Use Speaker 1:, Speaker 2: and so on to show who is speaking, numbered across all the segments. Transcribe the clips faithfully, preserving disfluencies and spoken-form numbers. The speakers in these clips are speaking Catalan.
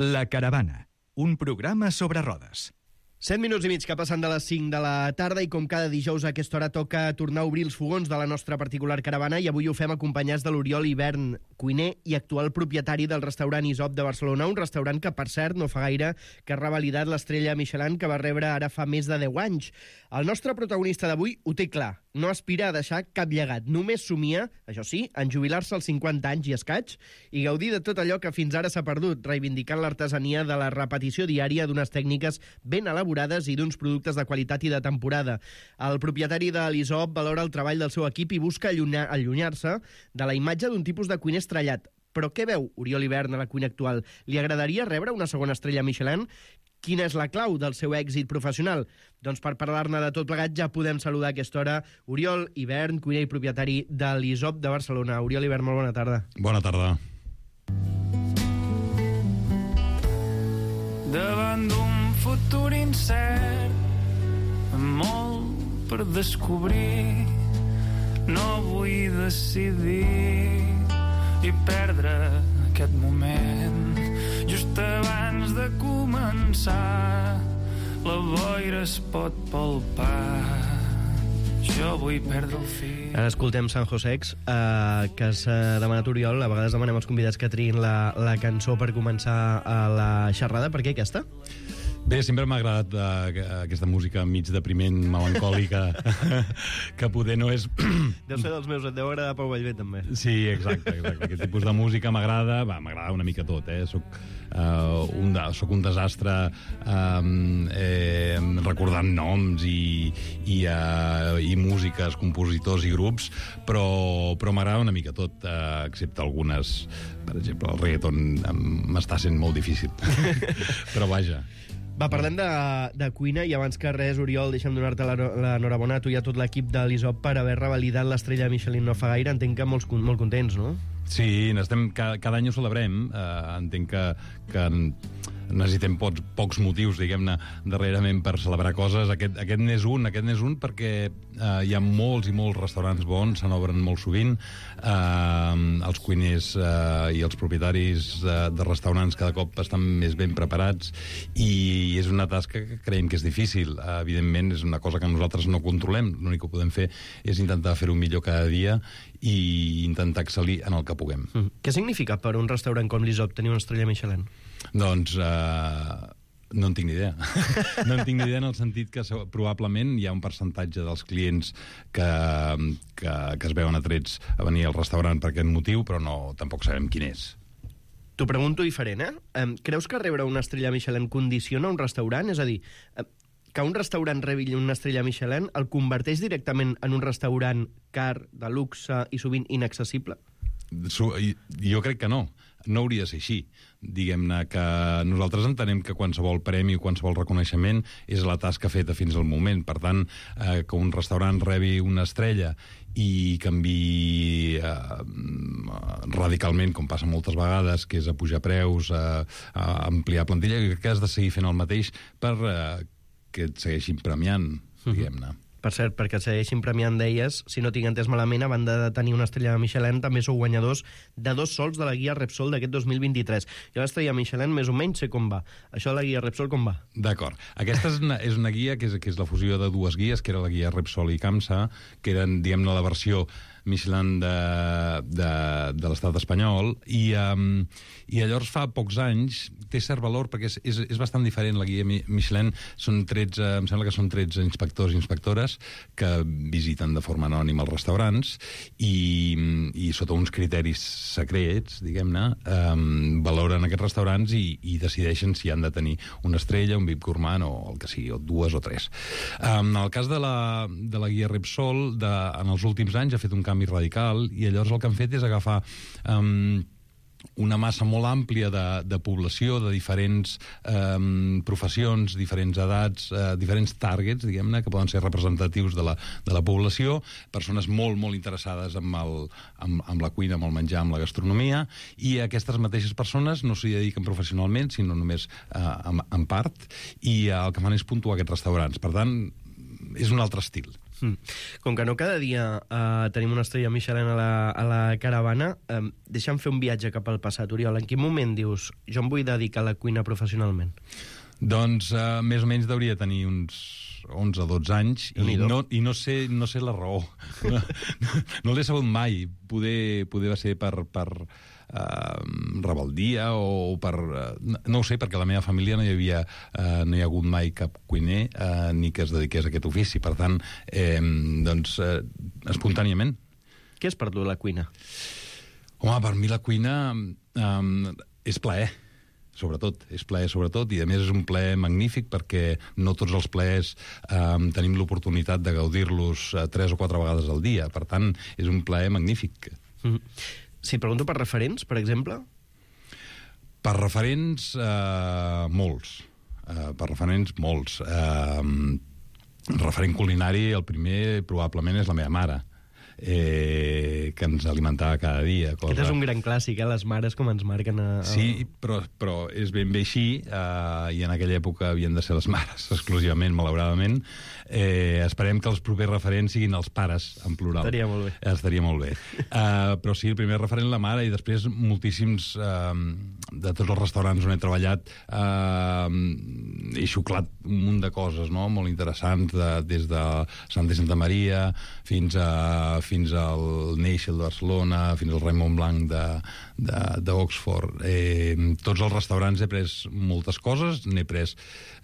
Speaker 1: La Caravana, un programa sobre rodes.
Speaker 2: set minuts i mig que passen de les cinc de la tarda i com cada dijous a aquesta hora toca tornar a obrir els fogons de la nostra particular caravana i avui ho fem acompanyats de l'Oriol Ivern, cuiner i actual propietari del restaurant Isop de Barcelona, un restaurant que, per cert, no fa gaire que ha revalidat l'estrella Michelin que va rebre ara fa més de deu anys. El nostre protagonista d'avui ho té clar, no aspira a deixar cap llegat, només somia, això sí, en jubilar-se als cinquanta anys i escaig i gaudir de tot allò que fins ara s'ha perdut, reivindicant l'artesania de la repetició diària d'unes tècniques ben elaborades i d'uns productes de qualitat i de temporada. El propietari de l'Isop valora el treball del seu equip i busca allunyar-se de la imatge d'un tipus de cuiner estrellat. Però què veu Oriol Ivern a la cuina actual? Li agradaria rebre una segona estrella Michelin? Quina és la clau del seu èxit professional? Doncs per parlar-ne de tot plegat ja podem saludar a aquesta hora Oriol Ivern, cuiner i propietari de l'Isop de Barcelona. Oriol Ivern, molt bona tarda.
Speaker 3: Bona tarda.
Speaker 4: Davant d'un futur incert, amb molt per descobrir, no vull decidir i perdre aquest moment. Just abans de començar, la boira es pot palpar. Jo vull perdre el fil.
Speaker 2: Ara escoltem San Josex, eh, que s'ha demanat Oriol. A vegades demanem als convidats que triïn la, la cançó per començar a la xerrada. Per què aquesta?
Speaker 3: Bé, sempre m'ha agradat uh, aquesta música mig depriment, melancòlica, que poder no és...
Speaker 2: Deu ser dels meus, et deu agradar Pau Vallvé, també.
Speaker 3: Sí, exacte, exacte. Aquest tipus de música m'agrada, va, m'agrada una mica tot, eh? Soc, uh, un, de, soc un desastre um, eh, recordant noms i, i, uh, i músiques, compositors i grups, però, però m'agrada una mica tot, uh, excepte algunes... Per exemple, el reggaeton m'està sent molt difícil. Però vaja...
Speaker 2: Va, parlem de, de cuina i abans que res, Oriol, deixa'm donar-te l'enhorabona a tu i a tot l'equip de l'Isop per haver revalidat l'estrella Michelin no fa gaire. Entenc que molts, molt contents, no?
Speaker 3: Sí, n'estem, cada, cada any ho celebrem. Uh, entenc que, que necessitem pocs, pocs motius, diguem-ne, darrerament per celebrar coses. Aquest, aquest n'és un, aquest n'és un perquè uh, hi ha molts i molts restaurants bons, se n'obren molt sovint. Uh, els cuiners uh, i els propietaris uh, de restaurants cada cop estan més ben preparats i és una tasca que creiem que és difícil. Uh, evidentment, és una cosa que nosaltres no controlem. L'únic que podem fer és intentar fer-ho millor cada dia i intentar excel·lir en el que puguem.
Speaker 2: Mm. Què significa per un restaurant com l'Isop tenir una estrella Michelin?
Speaker 3: Doncs uh, no en tinc ni idea. No en tinc ni idea en el sentit que probablement hi ha un percentatge dels clients que, que, que es veuen atrets a venir al restaurant per aquest motiu, però no, tampoc sabem quin és.
Speaker 2: T'ho pregunto diferent, eh? Um, creus que rebre una estrella Michelin condiciona un restaurant? És a dir, uh, que un restaurant rebi una estrella Michelin el converteix directament en un restaurant car, de luxe i sovint inaccessible?
Speaker 3: Jo crec que no. No hauria de ser així. Diguem-ne que nosaltres entenem que qualsevol premi o qualsevol reconeixement és la tasca feta fins al moment. Per tant, eh, que un restaurant rebi una estrella i canvi eh, radicalment, com passa moltes vegades, que és a pujar preus, a, a ampliar plantilla, crec que has de seguir fent el mateix per eh, que et segueixin premiant, diguem-ne.
Speaker 2: Per cert, perquè et segueixin premiant, deies, si no tinc entès malament, a banda de tenir una estrella de Michelin, també sou guanyadors de dos sols de la guia Repsol d'aquest dos mil vint-i-tres. Jo l'estrella Michelin més o menys sé com va. Això de la guia Repsol com va?
Speaker 3: D'acord. Aquesta és una, és una guia que és, que és la fusió de dues guies, que era la guia Repsol i CAMSA, que eren, diguem-ne, la versió Michelin de, de, de l'estat espanyol, i, um, i llavors fa pocs anys té cert valor perquè és, és, és bastant diferent la guia Michelin. Són tretze, em sembla que són tretze inspectors i inspectores que visiten de forma anònima els restaurants i, i sota uns criteris secrets, diguem-ne, um, valoren aquests restaurants i, i decideixen si han de tenir una estrella, un V I P gourmand o el que sigui, o dues o tres. Um, en el cas de la, de la guia Repsol, de, en els últims anys ha fet un canvi radical i llavors el que han fet és agafar um, una massa molt àmplia de, de població, de diferents um, professions, diferents edats, uh, diferents targets, diguem-ne, que poden ser representatius de la, de la població, persones molt, molt interessades amb, el, amb, amb la cuina, amb el menjar, amb la gastronomia, i aquestes mateixes persones no s'hi dediquen professionalment, sinó només uh, en, en part, i uh, el que fan és puntuar aquests restaurants. Per tant, és un altre estil.
Speaker 2: Mm. Com que no cada dia uh, tenim una estrella Michelin a la, a la caravana, um, deixa'm fer un viatge cap al passat. Oriol, en quin moment dius jo em vull dedicar a la cuina professionalment?
Speaker 3: Doncs uh, més o menys hauria tenir uns onze o dotze anys i no, i no sé, no sé la raó. No, no, no l'he sabut mai. Poder, poder va ser per, per uh, rebeldia o per... Uh, no ho sé, perquè a la meva família no hi havia uh, no hi ha hagut mai cap cuiner uh, ni que es dediqués a aquest ofici. Per tant, eh, doncs, uh, espontàniament.
Speaker 2: Què és per tu la cuina?
Speaker 3: Home, per mi la cuina um, és plaer. Sobretot, és plaer sobretot, i a més és un plaer magnífic perquè no tots els plaers eh, tenim l'oportunitat de gaudir-los eh, tres o quatre vegades al dia. Per tant, és un plaer magnífic.
Speaker 2: Mm. Si pregunto per referents, per exemple?
Speaker 3: Per referents, eh, molts. Eh, per referents, molts. Eh, referent culinari, el primer probablement és la meva mare. Eh, que ens alimentava cada dia. Cosa...
Speaker 2: Aquest és un gran clàssic, eh? Les mares com ens marquen a... a...
Speaker 3: Sí, però, però és ben bé així, eh, i en aquella època havien de ser les mares, exclusivament, malauradament. Eh, esperem que els propers referents siguin els pares, en plural.
Speaker 2: Estaria molt bé.
Speaker 3: Estaria molt bé. Eh, però sí, el primer referent la mare, i després moltíssims eh, de tots els restaurants on he treballat eh, he xuclat un munt de coses, no?, molt interessants, de, des de Santa Santa Maria fins a fins al Neixel de Barcelona, fins al Raimon Blanc d'Oxford. Eh, tots els restaurants he pres moltes coses, n'he pres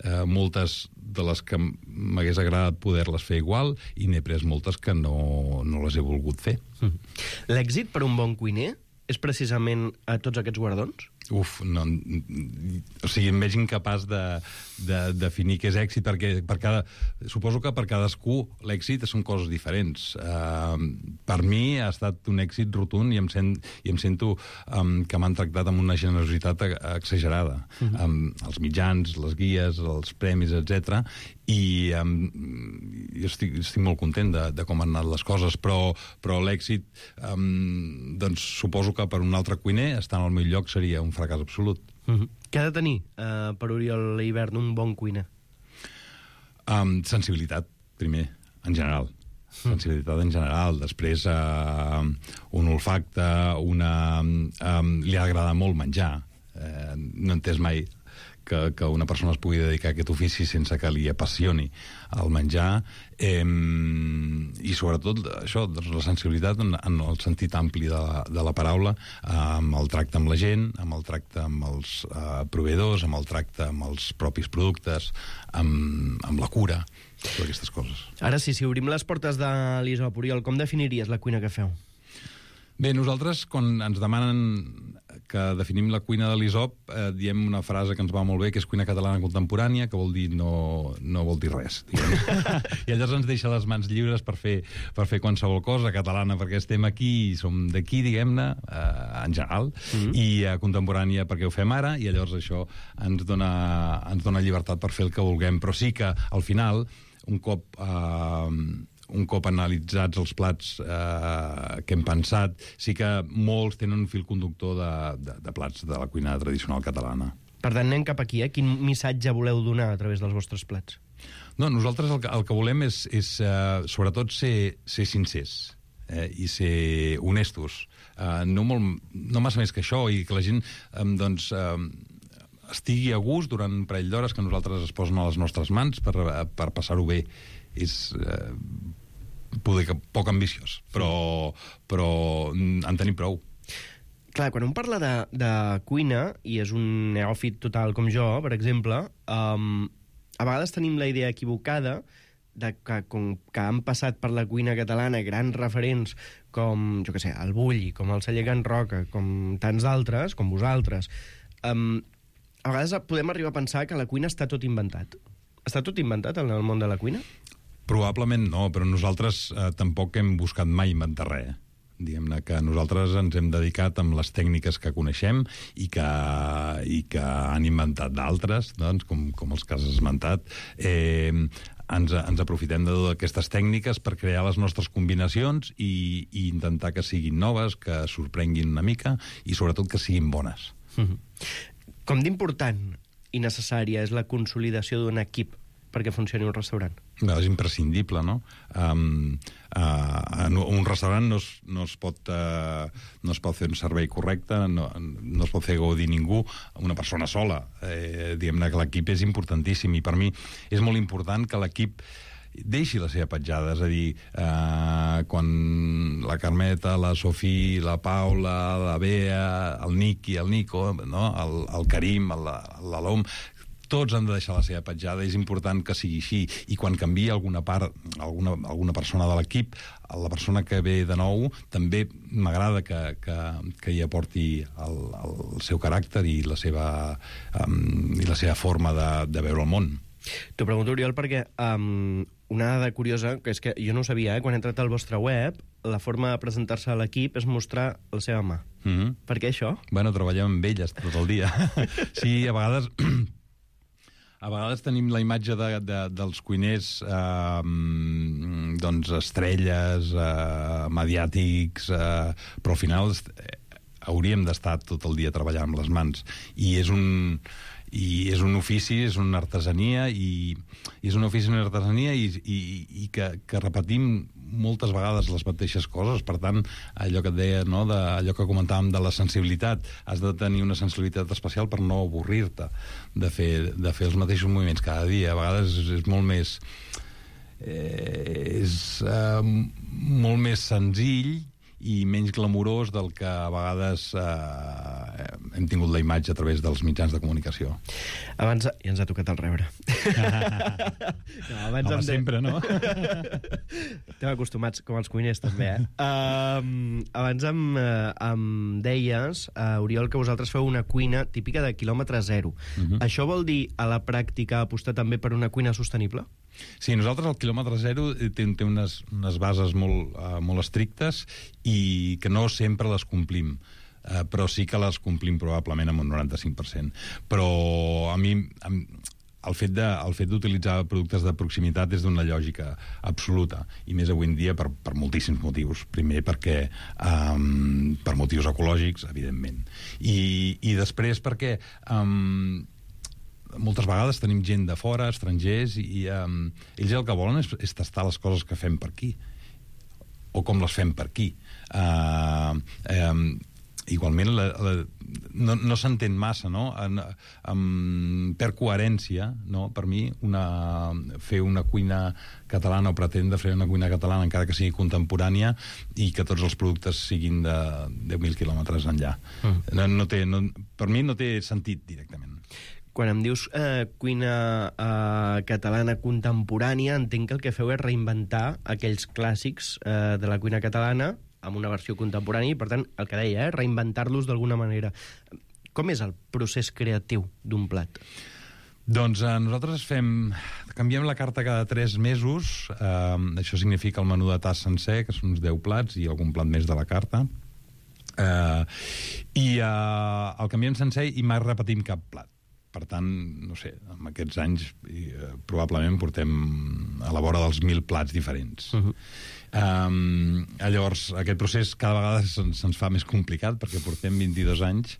Speaker 3: eh, moltes de les que m'hagués agradat poder-les fer igual, i n'he pres moltes que no, no les he volgut fer.
Speaker 2: Mm. L'èxit per un bon cuiner és precisament a tots aquests guardons?
Speaker 3: Uf, no, o sigui, em veig incapaç de, de definir què és èxit, perquè per cada, suposo que per cadascú l'èxit són coses diferents. Uh, per mi ha estat un èxit rotund i em, sent, i em sento um, que m'han tractat amb una generositat exagerada. Uh-huh. um, els mitjans, les guies, els premis, etcètera. I um, jo estic, estic molt content de, de com han anat les coses, però, però l'èxit, um, doncs suposo que per un altre cuiner, estar al meu lloc seria un fracàs absolut.
Speaker 2: Uh-huh. Què ha de tenir, uh, per Oriol Hivern, un bon cuiner?
Speaker 3: Um, sensibilitat, primer, en general. Sensibilitat en general. Després, uh, un olfacte, una... Um, li ha d'agradat molt menjar. Uh, no he entès mai que, que una persona es pugui dedicar a aquest ofici sense que li apassioni el menjar, eh, i sobretot això, doncs, la sensibilitat en, en el sentit ampli de la, de la paraula, eh, amb el tracte amb la gent, amb el tracte amb els eh, proveïdors, amb el tracte amb els propis productes, amb, amb la cura, totes aquestes coses.
Speaker 2: Ara sí, si obrim les portes de l'Isop, Oriol, com definiries la cuina que feu?
Speaker 3: Bé, nosaltres, quan ens demanen que definim la cuina de l'Isop, eh, diem una frase que ens va molt bé, que és cuina catalana contemporània, que vol dir no, no vol dir res. I llavors ens deixa les mans lliures per fer, per fer qualsevol cosa catalana, perquè estem aquí i som d'aquí, diguem-ne, eh, en general, mm-hmm. i eh, contemporània perquè ho fem ara, i llavors això ens dona, ens dona llibertat per fer el que vulguem. Però sí que, al final, un cop... Eh, un cop analitzats els plats eh, que hem pensat, sí que molts tenen un fil conductor de, de, de plats de la cuina tradicional catalana.
Speaker 2: Per tant, anem cap aquí, eh? Quin missatge voleu donar a través dels vostres plats?
Speaker 3: No, nosaltres el que, el que volem és, és uh, sobretot, ser, ser sincers eh, i ser honestos. Uh, no, molt, no massa més que això, i que la gent um, doncs, um, estigui a gust durant un parell d'hores que nosaltres es posen a les nostres mans per, per passar-ho bé. És eh, poder que poc ambiciós, però, però en tenim prou.
Speaker 2: Clar, quan un parla de, de cuina, i és un neòfit total com jo, per exemple, um, a vegades tenim la idea equivocada de que, com que han passat per la cuina catalana grans referents com, jo què sé, el Bulli, com el Celler Can Roca, com tants d'altres, com vosaltres, um, a vegades podem arribar a pensar que la cuina està tot inventat. Està tot inventat en el món de la cuina?
Speaker 3: Probablement no, però nosaltres eh, tampoc hem buscat mai inventar res. Diguem-ne que nosaltres ens hem dedicat amb les tècniques que coneixem i que, i que han inventat d'altres, doncs, com, com els que has esmentat. Eh, ens, ens aprofitem de totes aquestes tècniques per crear les nostres combinacions i, i intentar que siguin noves, que sorprenguin una mica i sobretot que siguin bones.
Speaker 2: Mm-hmm. Com d'important i necessària és la consolidació d'un equip perquè funcioni un restaurant?
Speaker 3: No, és imprescindible, no? Um, uh, en un restaurant no es, no, es pot, uh, no es pot fer un servei correcte, no, no es pot fer gaudir ningú, una persona sola. Eh, diguem-ne que l'equip és importantíssim, i per mi és molt important que l'equip deixi la seva petjada, és a dir, eh, quan la Carmeta, la Sofí, la Paula, la Bea, el Niqui, el Nico, no? el, el Karim, l'Alom, tots han de deixar la seva petjada, és important que sigui així, i quan canvia alguna part, alguna, alguna persona de l'equip, la persona que ve de nou, també m'agrada que, que, que hi aporti el, el seu caràcter i la seva, um, i la seva forma de, de veure el món.
Speaker 2: T'ho pregunto, Oriol, perquè um, una dada curiosa, que és que jo no ho sabia, eh? Quan he entrat al vostre web, la forma de presentar-se a l'equip és mostrar la seva mà.
Speaker 3: Mm-hmm.
Speaker 2: Per què això?
Speaker 3: Bueno, treballem amb elles tot el dia. Sí, a vegades... A vegades tenim la imatge de, de, dels cuiners eh, doncs estrelles, eh, mediàtics, eh, però al final eh, hauríem d'estar tot el dia treballant amb les mans. I és un... i és un ofici, és una artesania, i, i és un ofici, una artesania, i, i, i que, que repetim moltes vegades les mateixes coses. Per tant, allò que et deia, no? de, allò que comentàvem de la sensibilitat, has de tenir una sensibilitat especial per no avorrir-te de fer, de fer els mateixos moviments cada dia. A vegades és, és molt més eh, és eh, molt més senzill i menys glamurós del que a vegades eh, hem tingut la imatge a través dels mitjans de comunicació.
Speaker 2: Abans... Ja ens ha tocat el rebre. No, abans
Speaker 3: Home,
Speaker 2: de...
Speaker 3: sempre, no?
Speaker 2: Estem acostumats, com els cuiners, també, eh? Um, abans em, uh, em deies, uh, Oriol, que vosaltres feu una cuina típica de quilòmetre zero. Uh-huh. Això vol dir, a la pràctica, apostar també per una cuina sostenible?
Speaker 3: Sí, nosaltres el quilòmetre zero té, té unes, unes bases molt, uh, molt estrictes i que no sempre les complim. Uh, però sí que les complim probablement amb un noranta-cinc per cent. Però a mi... Amb, el fet de, el fet d'utilitzar productes de proximitat és d'una lògica absoluta, i més avui en dia per, per moltíssims motius. Primer perquè um, per motius ecològics, evidentment, i, i després perquè um, moltes vegades tenim gent de fora, estrangers, i um, ells el que volen és, és tastar les coses que fem per aquí, o com les fem per aquí. Uh, um, igualment la, la, no, no s'entén massa, no? En, en, per coherència, no? Per mi una, fer una cuina catalana, o pretendre fer una cuina catalana encara que sigui contemporània, i que tots els productes siguin de deu mil quilòmetres enllà. Mm. No, no té, no, per mi no té sentit directament.
Speaker 2: Quan em dius eh, cuina eh, catalana contemporània, entenc que el que feu és reinventar aquells clàssics eh, de la cuina catalana amb una versió contemporània, i per tant, el que deia, eh, reinventar-los d'alguna manera. Com és el procés creatiu d'un plat?
Speaker 3: Doncs eh, nosaltres fem... Canviem la carta cada tres mesos. Eh, això significa el menú de tas sencer, que són uns deu plats i algun plat més de la carta. Eh, I eh, el canviem sencer i mai repetim cap plat. Per tant, no sé, en aquests anys eh, probablement portem a la vora dels mil plats diferents. Uh-huh. Um, llavors, aquest procés cada vegada se'ns, se'ns fa més complicat, perquè portem vint-i-dos anys.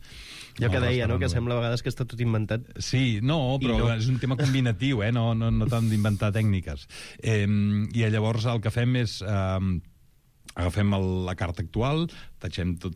Speaker 2: Jo que deia, no?, que sembla a vegades que està tot inventat.
Speaker 3: Sí, no, però no. És un tema combinatiu, eh? no, no, no tant d'inventar tècniques. Eh, I llavors el que fem és... Eh, agafem el, la carta actual, tatxem tot,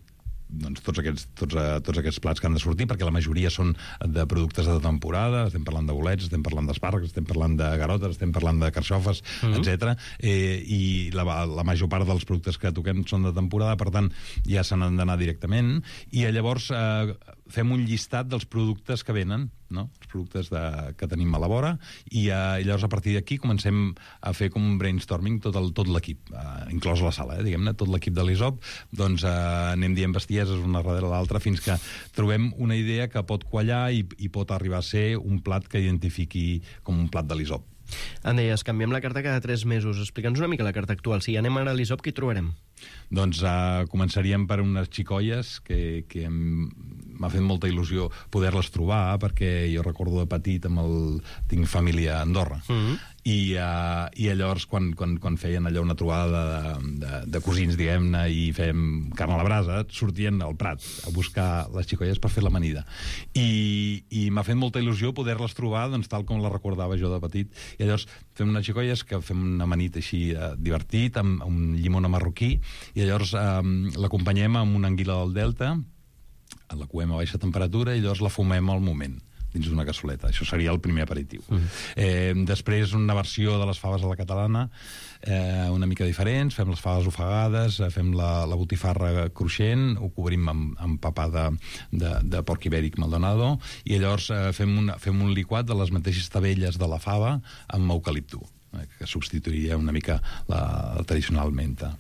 Speaker 3: doncs, tots, aquests, tots, uh, tots aquests plats que han de sortir, perquè la majoria són de productes de temporada. Estem parlant de bolets, estem parlant d'espàrrecs, estem parlant de garotes, estem parlant de carxofes, mm-hmm. etcètera. Eh, I la, la major part dels productes que toquem són de temporada, per tant, ja se n'han d'anar directament. I llavors eh, fem un llistat dels productes que venen, no? Els productes de, que tenim a la vora, i, eh, i llavors a partir d'aquí comencem a fer com un brainstorming tot, el, tot l'equip, eh, inclòs la sala, eh, diguem-ne, tot l'equip de l'I S O P, doncs eh, anem dient bestieses una darrere l'altra fins que trobem una idea que pot quallar i, i pot arribar a ser un plat que identifiqui com un plat de l'I S O P.
Speaker 2: Em deies, canviem la carta cada tres mesos. Explica'ns una mica la carta actual. Si anem ara a l'I S O P, què hi trobarem?
Speaker 3: Doncs uh, començaríem per unes xicolles que, que m'ha fet molta il·lusió poder-les trobar, perquè jo recordo de petit amb el... tinc família a Andorra, mm-hmm. I, uh, i llavors quan, quan, quan feien allò una trobada de, de, de cosins, diguem-ne, i fèiem carn a la brasa, sortien al Prat a buscar les xicolles per fer l'amanida. I, i m'ha fet molta il·lusió poder-les trobar, doncs, tal com les recordava jo de petit. I llavors fem unes xicolles que fem un amanit així uh, divertit, amb, amb un llimona marroquí, i llavors um, l'acompanyem amb una anguila del Delta, la coem a baixa temperatura, i llavors la fumem al moment, dins d'una cassoleta. Això seria el primer aperitiu. Mm. Eh, després, una versió de les faves a la catalana, eh, una mica diferents, fem les faves ofegades, eh, fem la, la botifarra cruixent, ho cobrim amb, amb papà de, de, de porc ibèric Maldonado, i llavors eh, fem, una, fem un liquat de les mateixes tabelles de la fava amb eucalipto, que substituiria una mica la, la tradicional menta.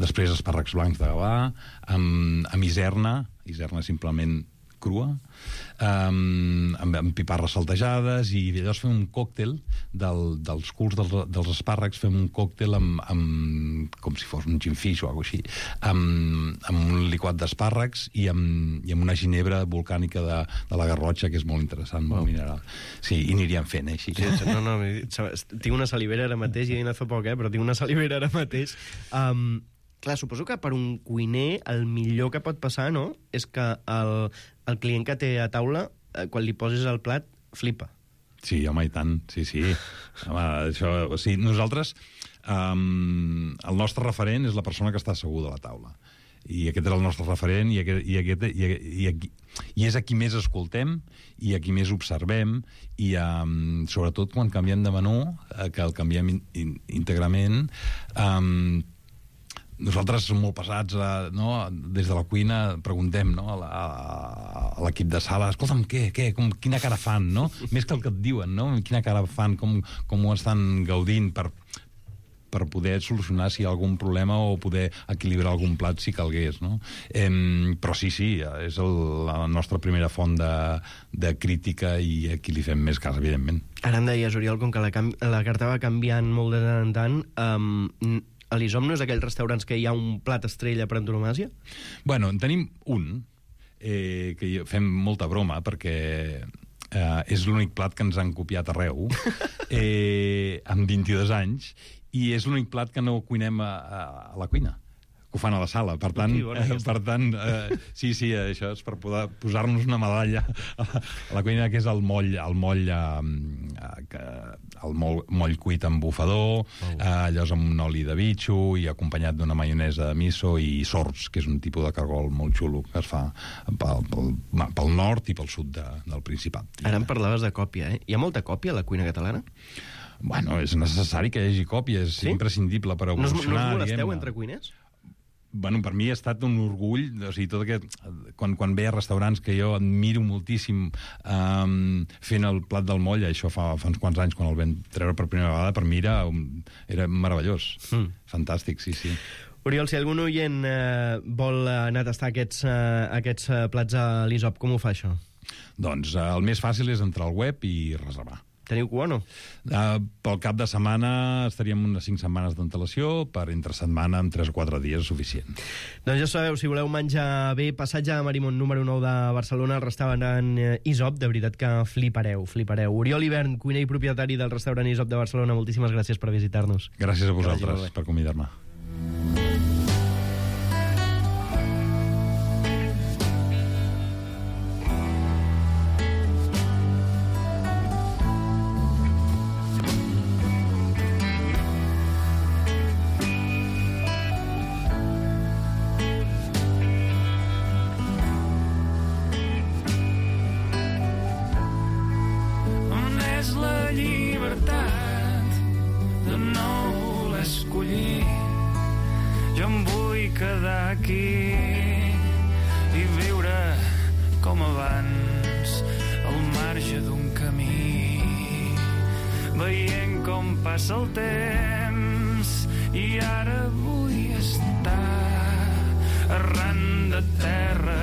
Speaker 3: Després, espàrrecs blancs de Gavà, amb, amb iserna, iserna simplement crua, um, amb, amb piparres saltejades, i llavors fem un còctel del, dels culs dels, dels espàrrecs, fem un còctel amb, amb, com si fos un gin fish o alguna cosa així, amb, amb un liquat d'espàrrecs i amb, i amb una ginebra volcànica de, de la Garrotxa, que és molt interessant, molt wow. mineral. Sí, i aniríem fent, eh, així.
Speaker 2: Sí, no, no, tinc una salivera ara mateix, i he anat fa poc, eh, però tinc una salivera ara mateix. Um, clar, suposo que per un cuiner el millor que pot passar, no?, és que el, el client que té a taula, eh, quan li poses el plat, flipa.
Speaker 3: Sí, home, i tant, sí, sí. Home, això, o sigui, nosaltres, um, el nostre referent és la persona que està asseguda a la taula. I aquest és el nostre referent, i, aquest, i, aquest, i, i, aquí, i és a qui més escoltem, i a qui més observem, i um, sobretot quan canviem de menú, eh, que el canviem in, in, íntegrament, um, nosaltres som molt pesats, eh, no? Des de la cuina preguntem, no? a, a, a l'equip de sala, escolta'm, què, què, com, quina cara fan, no? Més que el que et diuen, no? Quina cara fan, com, com ho estan gaudint per, per poder solucionar si hi ha algun problema o poder equilibrar algun plat si calgués, no? Eh, però sí, sí, és el, la nostra primera font de, de crítica, i aquí li fem més cas, evidentment.
Speaker 2: Ara em deies, Oriol, com que la, la carta va canviant molt de tant en tant, um, a l'I S O M no és aquells restaurants que hi ha un plat estrella per antonomàsia?
Speaker 3: Bueno, en tenim un, eh, que fem molta broma, perquè eh, és l'únic plat que ens han copiat arreu, eh, amb vint-i-dos anys, i és l'únic plat que no cuinem a, a, a la cuina, que ho fan a la sala. Per tant,
Speaker 2: sí, bueno,
Speaker 3: eh, per tant eh, sí, sí, això és per poder posar-nos una medalla a la, a la cuina, que és el moll, el moll, eh, el moll, moll cuit amb bufador, oh. eh, allò amb un oli de bitxo, i acompanyat d'una maionesa de miso i sorts, que és un tipus de cargol molt xulo que es fa pel, pel, pel nord i pel sud de, del Principat.
Speaker 2: Ara em parlaves de còpia, eh? Hi ha molta còpia a la cuina catalana?
Speaker 3: Bueno, és necessari que hi hagi còpia, és sí? imprescindible per evolucionar.
Speaker 2: No us, no us molesteu entre cuiners?
Speaker 3: Bueno, per mi ha estat un orgull, o sigui, tot aquest, quan, quan ve a restaurants que jo admiro moltíssim um, fent el plat del moll, això fa, fa uns quants anys, quan el vam treure per primera vegada, per mi era, era meravellós. Mm. Fantàstic, sí, sí.
Speaker 2: Oriol, si algun oient eh, vol anar a tastar aquests, eh, aquests eh, plats a l'I S O P, com ho fa això?
Speaker 3: Doncs eh, el més fàcil és entrar al web i reservar.
Speaker 2: Teniu cua o no?
Speaker 3: Uh, pel cap de setmana estaríem unes cinc setmanes d'antelació, per entre setmana amb tres o quatre dies és suficient.
Speaker 2: Doncs ja sabeu, si voleu menjar bé, passatge a Marimon número nou de Barcelona, el restaurant I S O P, de veritat que flipareu, flipareu. Oriol Ibern, cuiner i propietari del restaurant I S O P de Barcelona, moltíssimes gràcies per visitar-nos.
Speaker 3: Gràcies a vosaltres per convidar-me.
Speaker 4: Jo em vull quedar aquí i viure com abans, al marge d'un camí, veient com passa el temps, i ara vull estar arran de terra.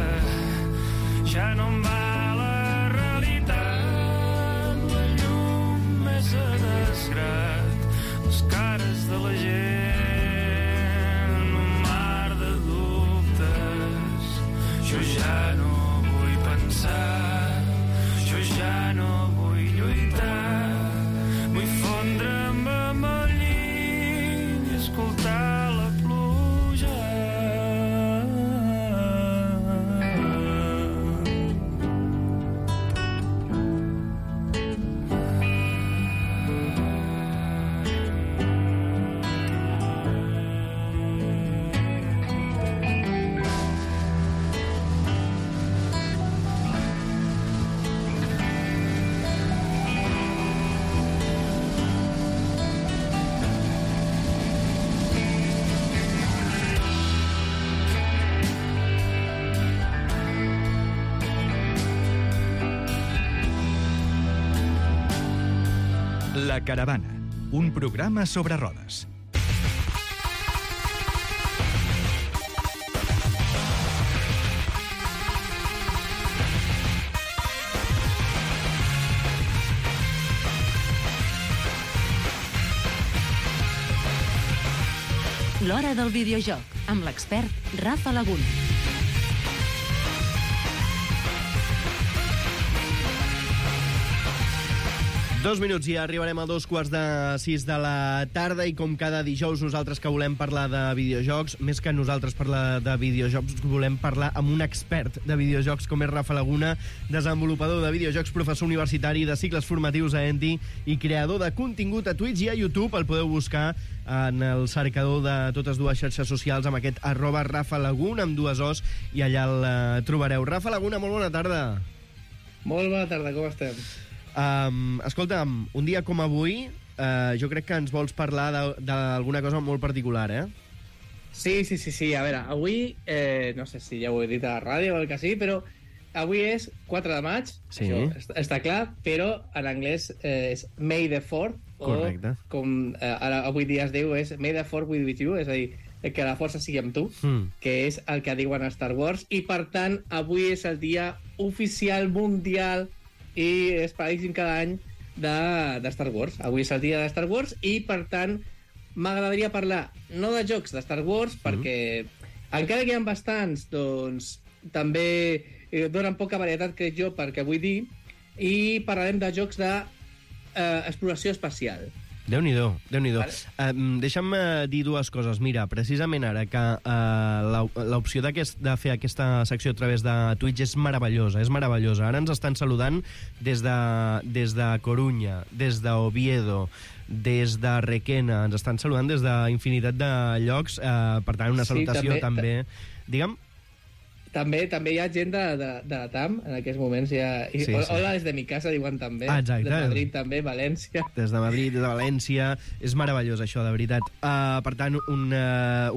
Speaker 4: Ja no em va la realitat, la llum és a desgrat, les cares de la gent, un mar
Speaker 1: La Caravana, un programa sobre rodes.
Speaker 5: L'Hora del Videojoc, amb l'expert Rafa Laguna.
Speaker 2: Dos minuts i arribarem a dos quarts de sis de la tarda i com cada dijous nosaltres que volem parlar de videojocs, més que nosaltres parlar de videojocs, volem parlar amb un expert de videojocs com és Rafa Laguna, desenvolupador de videojocs, professor universitari de cicles formatius a Enti i creador de contingut a Twitch i a YouTube. El podeu buscar en el cercador de totes dues xarxes socials amb aquest arroba Rafa Laguna amb dues os i allà el uh, trobareu. Rafa Laguna, molt bona tarda.
Speaker 6: Molt bona tarda, com estem?
Speaker 2: Um, escolta'm, un dia com avui, uh, jo crec que ens vols parlar d'alguna cosa molt particular, eh?
Speaker 6: Sí, sí, sí, sí. A veure, avui, eh, no sé si ja ho he dit a la ràdio o el que sigui, però avui és quatre de maig,
Speaker 2: sí.
Speaker 6: Això està, està clar, però en anglès eh, és May the fourth,
Speaker 2: correcte.
Speaker 6: O com eh, ara avui dia es diu, és May the fourth be with you, és a dir, que la força sigui amb tu, mm. que és el que diuen a Star Wars, i per tant, avui és el dia oficial mundial i és paradíssim cada any de, de Star Wars. Avui és el dia de Star Wars i, per tant, m'agradaria parlar no de jocs de Star Wars, mm. perquè encara que hi ha bastants, doncs també eh, donen poca varietat, crec jo, perquè vull dir, i parlarem de jocs de eh, exploració espacial.
Speaker 2: Déu-n'hi-do, Déu-n'hi-do.
Speaker 6: Vale.
Speaker 2: Um, deixa'm uh, dir dues coses. Mira, precisament ara que uh, l'opció de fer aquesta secció a través de Twitch és meravellosa, és meravellosa. Ara ens estan saludant des de, des de Corunya, des d'Oviedo, des de Requena, ens estan saludant des d'infinitat de llocs, uh, per tant, una salutació sí, també. també. Digue'm.
Speaker 6: També també hi ha gent de, de, de la T A M, en aquests moments. Hi ha, sí, sí. Hola, des de mi casa, diuen també.
Speaker 2: Ah, exacte.
Speaker 6: De Madrid també, València.
Speaker 2: Des de Madrid, des de València. És meravellós, això, de veritat. Uh, per tant, una,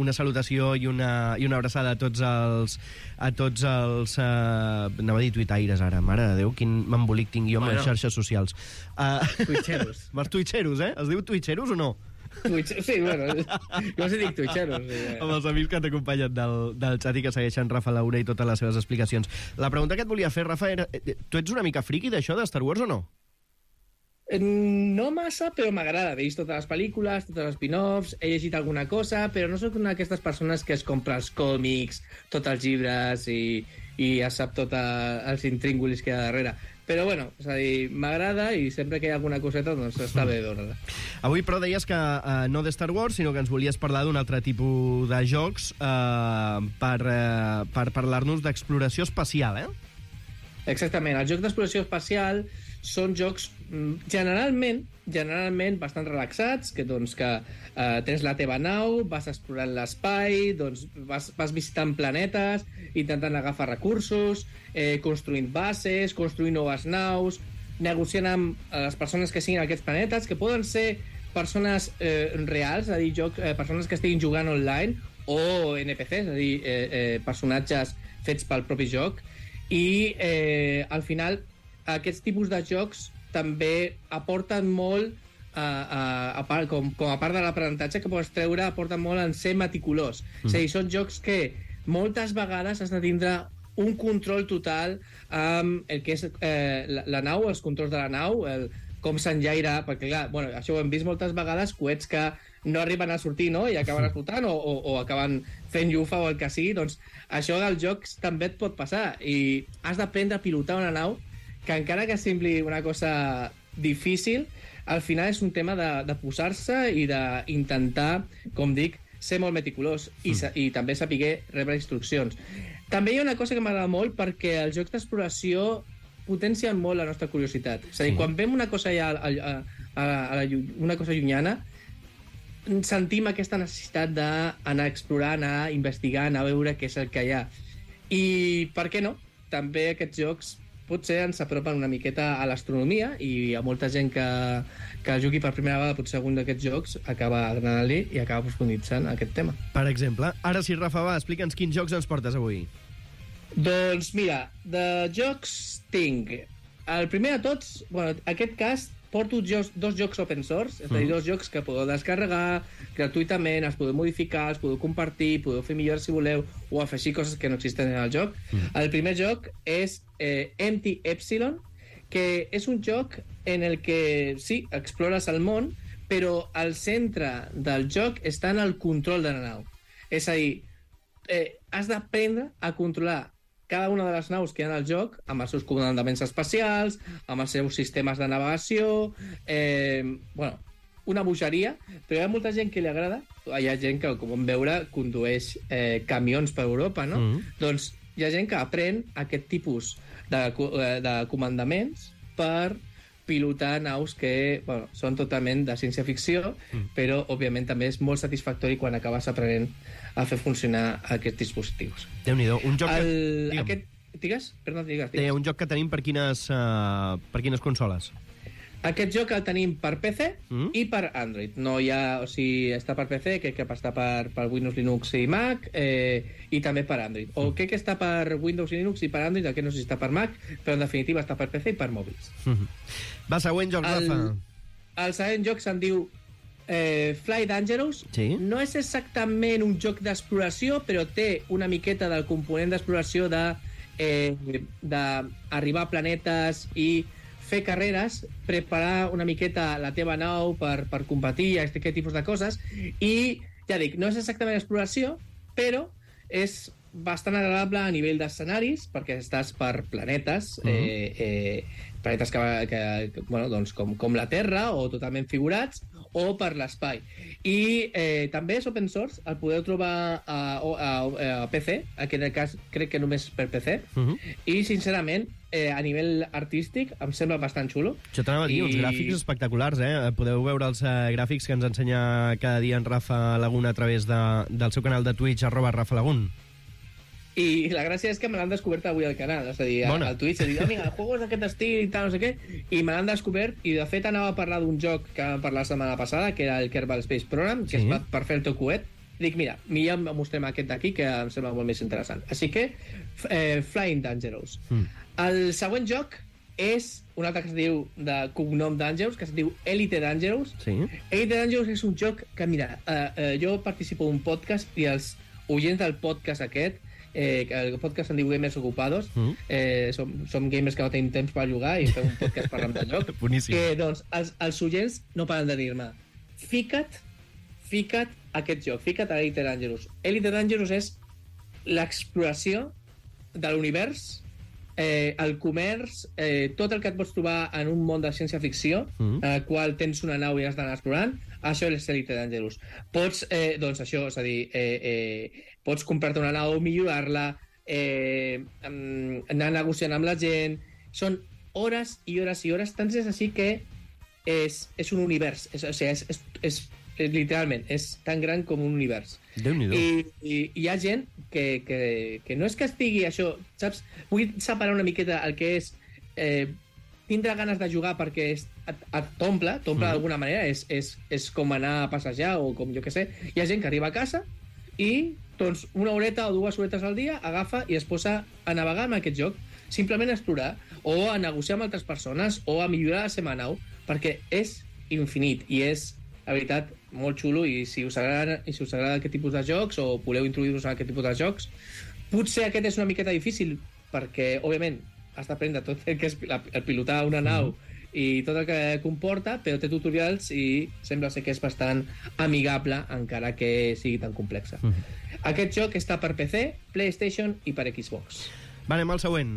Speaker 2: una salutació i una, i una abraçada a tots els... a tots els... Uh, anava a dir tuitaires, ara. Mare de Déu, quin embolic tinc jo amb bueno. les xarxes socials. Uh,
Speaker 6: Twitcheros.
Speaker 2: Els twitcheros, eh? Es diu twitcheros o no?
Speaker 6: Twitch, sí, bueno, jo us dic twitcheros. Sí, eh.
Speaker 2: Amb els amics que t'acompanyen del, del xat i que segueixen Rafa Laura i totes les seves explicacions. La pregunta que et volia fer, Rafa, era... Tu ets una mica friqui d'això, de Star Wars, o no?
Speaker 6: No massa, però m'agrada. He vist totes les pel·lícules, tots els spin-offs, he llegit alguna cosa, però no sóc una d'aquestes persones que es compra els còmics, tots els llibres i, i ja sap tots els intríngulis que hi ha darrere. Però, bueno, és a dir, m'agrada i sempre que hi ha alguna coseta, doncs està bé veure-la.
Speaker 2: Avui, però, deies que eh, no de Star Wars, sinó que ens volies parlar d'un altre tipus de jocs eh, per, eh, per parlar-nos d'exploració espacial, eh?
Speaker 6: Exactament. Els jocs d'exploració espacial són jocs generalment generalment bastant relaxats, que doncs que eh, tens la teva nau, vas explorant l'espai, doncs vas, vas visitant planetes, intentant agafar recursos, eh, construint bases, construint noves naus, negociant amb les persones que siguin aquests planetes, que poden ser persones eh, reals, és a dir, joc, eh, persones que estiguin jugant online, o N P Cs, és a dir, eh, eh, personatges fets pel propi joc, i eh, al final aquests tipus de jocs també aporten molt a, a, a part, com, com a part de l'aprenentatge que pots treure, aporten molt en ser meticulós. Mm. És a dir, són jocs que moltes vegades has de tindre un control total amb el que és eh, la, la nau, els controls de la nau, el, com s'enllaira, perquè clar, bueno, això ho hem vist moltes vegades, coets que no arriben a sortir, no?, i acaben explotant o, o, o acaben fent llufa o el que sigui, doncs això als jocs també et pot passar i has d'aprendre a pilotar una nau que encara que sembli una cosa difícil, al final és un tema de, de posar-se i d'intentar, com dic, ser molt meticulós i, mm. i també saber rebre instruccions. També hi ha una cosa que m'agrada molt perquè els jocs d'exploració potencien molt la nostra curiositat. És a dir, sí. quan veiem una cosa ja a, a, a, a la, una cosa llunyana, sentim aquesta necessitat d'anar a explorar, anar a investigar, anar a veure què és el que hi ha. I per què no? També aquests jocs potser ens apropen una miqueta a l'astronomia i a molta gent que, que jugui per primera vegada potser algun d'aquests jocs acaba agradant-li i acaba profunditzant aquest tema.
Speaker 2: Per exemple, ara sí, Rafa, va, explica'ns quins jocs ens portes avui.
Speaker 6: Doncs mira, de jocs tinc el primer de tots, bueno, aquest cas porto jocs, dos jocs open source, és a dir, dos jocs que podeu descarregar gratuïtament, els podeu modificar, els podeu compartir, podeu fer millores si voleu, o afegir coses que no existen en el joc. Mm. El primer joc és eh, Empty Epsilon, que és un joc en el que, sí, explores el món, però al centre del joc està en el control de la nau. És a dir, eh, has d'aprendre a controlar cada una de les naus que hi ha al joc, amb els seus comandaments espacials, amb els seus sistemes de navegació, eh, bueno, una bogeria, però hi ha molta gent que li agrada, hi ha gent que, com vam veure, condueix eh, camions per Europa, no? Mm. Doncs hi ha gent que aprèn aquest tipus de, de comandaments per pilotar naus que, bueno, són totalment de ciència-ficció, mm. però, òbviament, també és molt satisfactori quan acabes aprenent a fer funcionar aquests dispositius.
Speaker 2: Déu-n'hi-do. Un joc
Speaker 6: el,
Speaker 2: que...
Speaker 6: Aquest... Digues? Perdó, digues, digues.
Speaker 2: Deia, un joc que tenim per quines, uh, per quines consoles?
Speaker 6: Aquest joc el tenim per P C
Speaker 2: mm?
Speaker 6: i per Android. No hi ha... O sigui, està per P C, crec que està per, per Windows, Linux i Mac, eh, i també per Android. O crec que està per Windows i Linux i per Android, el que no sé si està per Mac, però en definitiva està per P C i per mòbils.
Speaker 2: Mm-hmm. Va, següent joc,
Speaker 6: el,
Speaker 2: Rafa.
Speaker 6: El següent joc se'n diu eh, Fly Dangerous.
Speaker 2: Sí?
Speaker 6: No és exactament un joc d'exploració, però té una miqueta del component d'exploració de eh, d'arribar a planetes i fer carreres, preparar una miqueta la teva nau per, per competir, aquest tipus de coses, i, ja dic, no és exactament exploració, però és bastant agradable a nivell d'escenaris, perquè estàs per planetes, uh-huh. eh, eh, planetes que, que, que bueno, doncs com, com la Terra, o totalment figurats, o per l'espai. I eh, també és open source, el podeu trobar a, a, a P C, aquí en el cas crec que només per P C, uh-huh. i sincerament, eh, a nivell artístic, em sembla bastant xulo.
Speaker 2: Això t'anava a dir, I... uns gràfics espectaculars, eh? Podeu veure els eh, gràfics que ens ensenya cada dia en Rafa Laguna a través de, del seu canal de Twitch, arroba Rafa Lagun.
Speaker 6: I la gràcia és que me l'han descobert avui al canal, és a dir, Bona. al Twitch, he dit, oh, mira, el juego és d'aquest estil i tal, no sé què, i me l'han descobert, i de fet anava a parlar d'un joc que vam parlar la setmana passada, que era el Kerbal Space Program, que sí. es va per fer el teu coet. Dic, mira, millor mostrem aquest d'aquí, que em sembla molt més interessant. Així que, eh, Flying Dangerous. Mm. El següent joc és un altre que es diu de cognom Dangerous, que es diu Elite Dangerous.
Speaker 2: Sí.
Speaker 6: Elite Dangerous és un joc que, mira, eh, eh, jo participo d'un podcast i els oients del podcast aquest, eh, el podcast se'n diu Gamers Ocupados, mm. eh, som, som gamers que no tenim temps per jugar i fem un podcast parlant de joc.
Speaker 2: Boníssim.
Speaker 6: Que, doncs, els, els oients no paren de dir-me, fica't, fica't aquest joc, fica't a Elite Dangerous. Elite Dangerous és l'exploració de l'univers, eh, el comerç, eh, tot el que et pots trobar en un món de ciència-ficció, mm. en el qual tens una nau i has d'anar explorant, això és Elite Dangerous. Pots, eh, doncs això, és a dir, eh, eh, pots comprar-te una nau, millorar-la, eh, anar negociant amb la gent. Són hores i hores i hores, tant és així que és, és un univers, és, o sigui, és, és, és, és literalment, és tan gran com un univers.
Speaker 2: Déu-n'hi-do.
Speaker 6: I, i hi ha gent que, que, que no és que estigui això, saps? Vull separar una miqueta el que és eh, tindre ganes de jugar perquè és, et, et t'omple, t'omple mm. d'alguna manera, és, és, és com anar a passejar o com jo que sé. Hi ha gent que arriba a casa i doncs una horeta o dues horetes al dia agafa i es posa a navegar en aquest joc, simplement a explorar o a negociar amb altres persones o a millorar la seva nau, perquè és infinit i és, la veritat, molt xulo. I si us agrada, i si us agrada aquest tipus de jocs o voleu introduir-vos a aquest tipus de jocs, potser aquest és una miqueta difícil perquè, òbviament, has d'aprendre tot el que és el pilotar una nau mm. i tot el que comporta, però té tutorials i sembla ser que és bastant amigable encara que sigui tan complexa. Mm. Aquest joc està per P C, PlayStation i per Xbox.
Speaker 2: Va, anem al següent.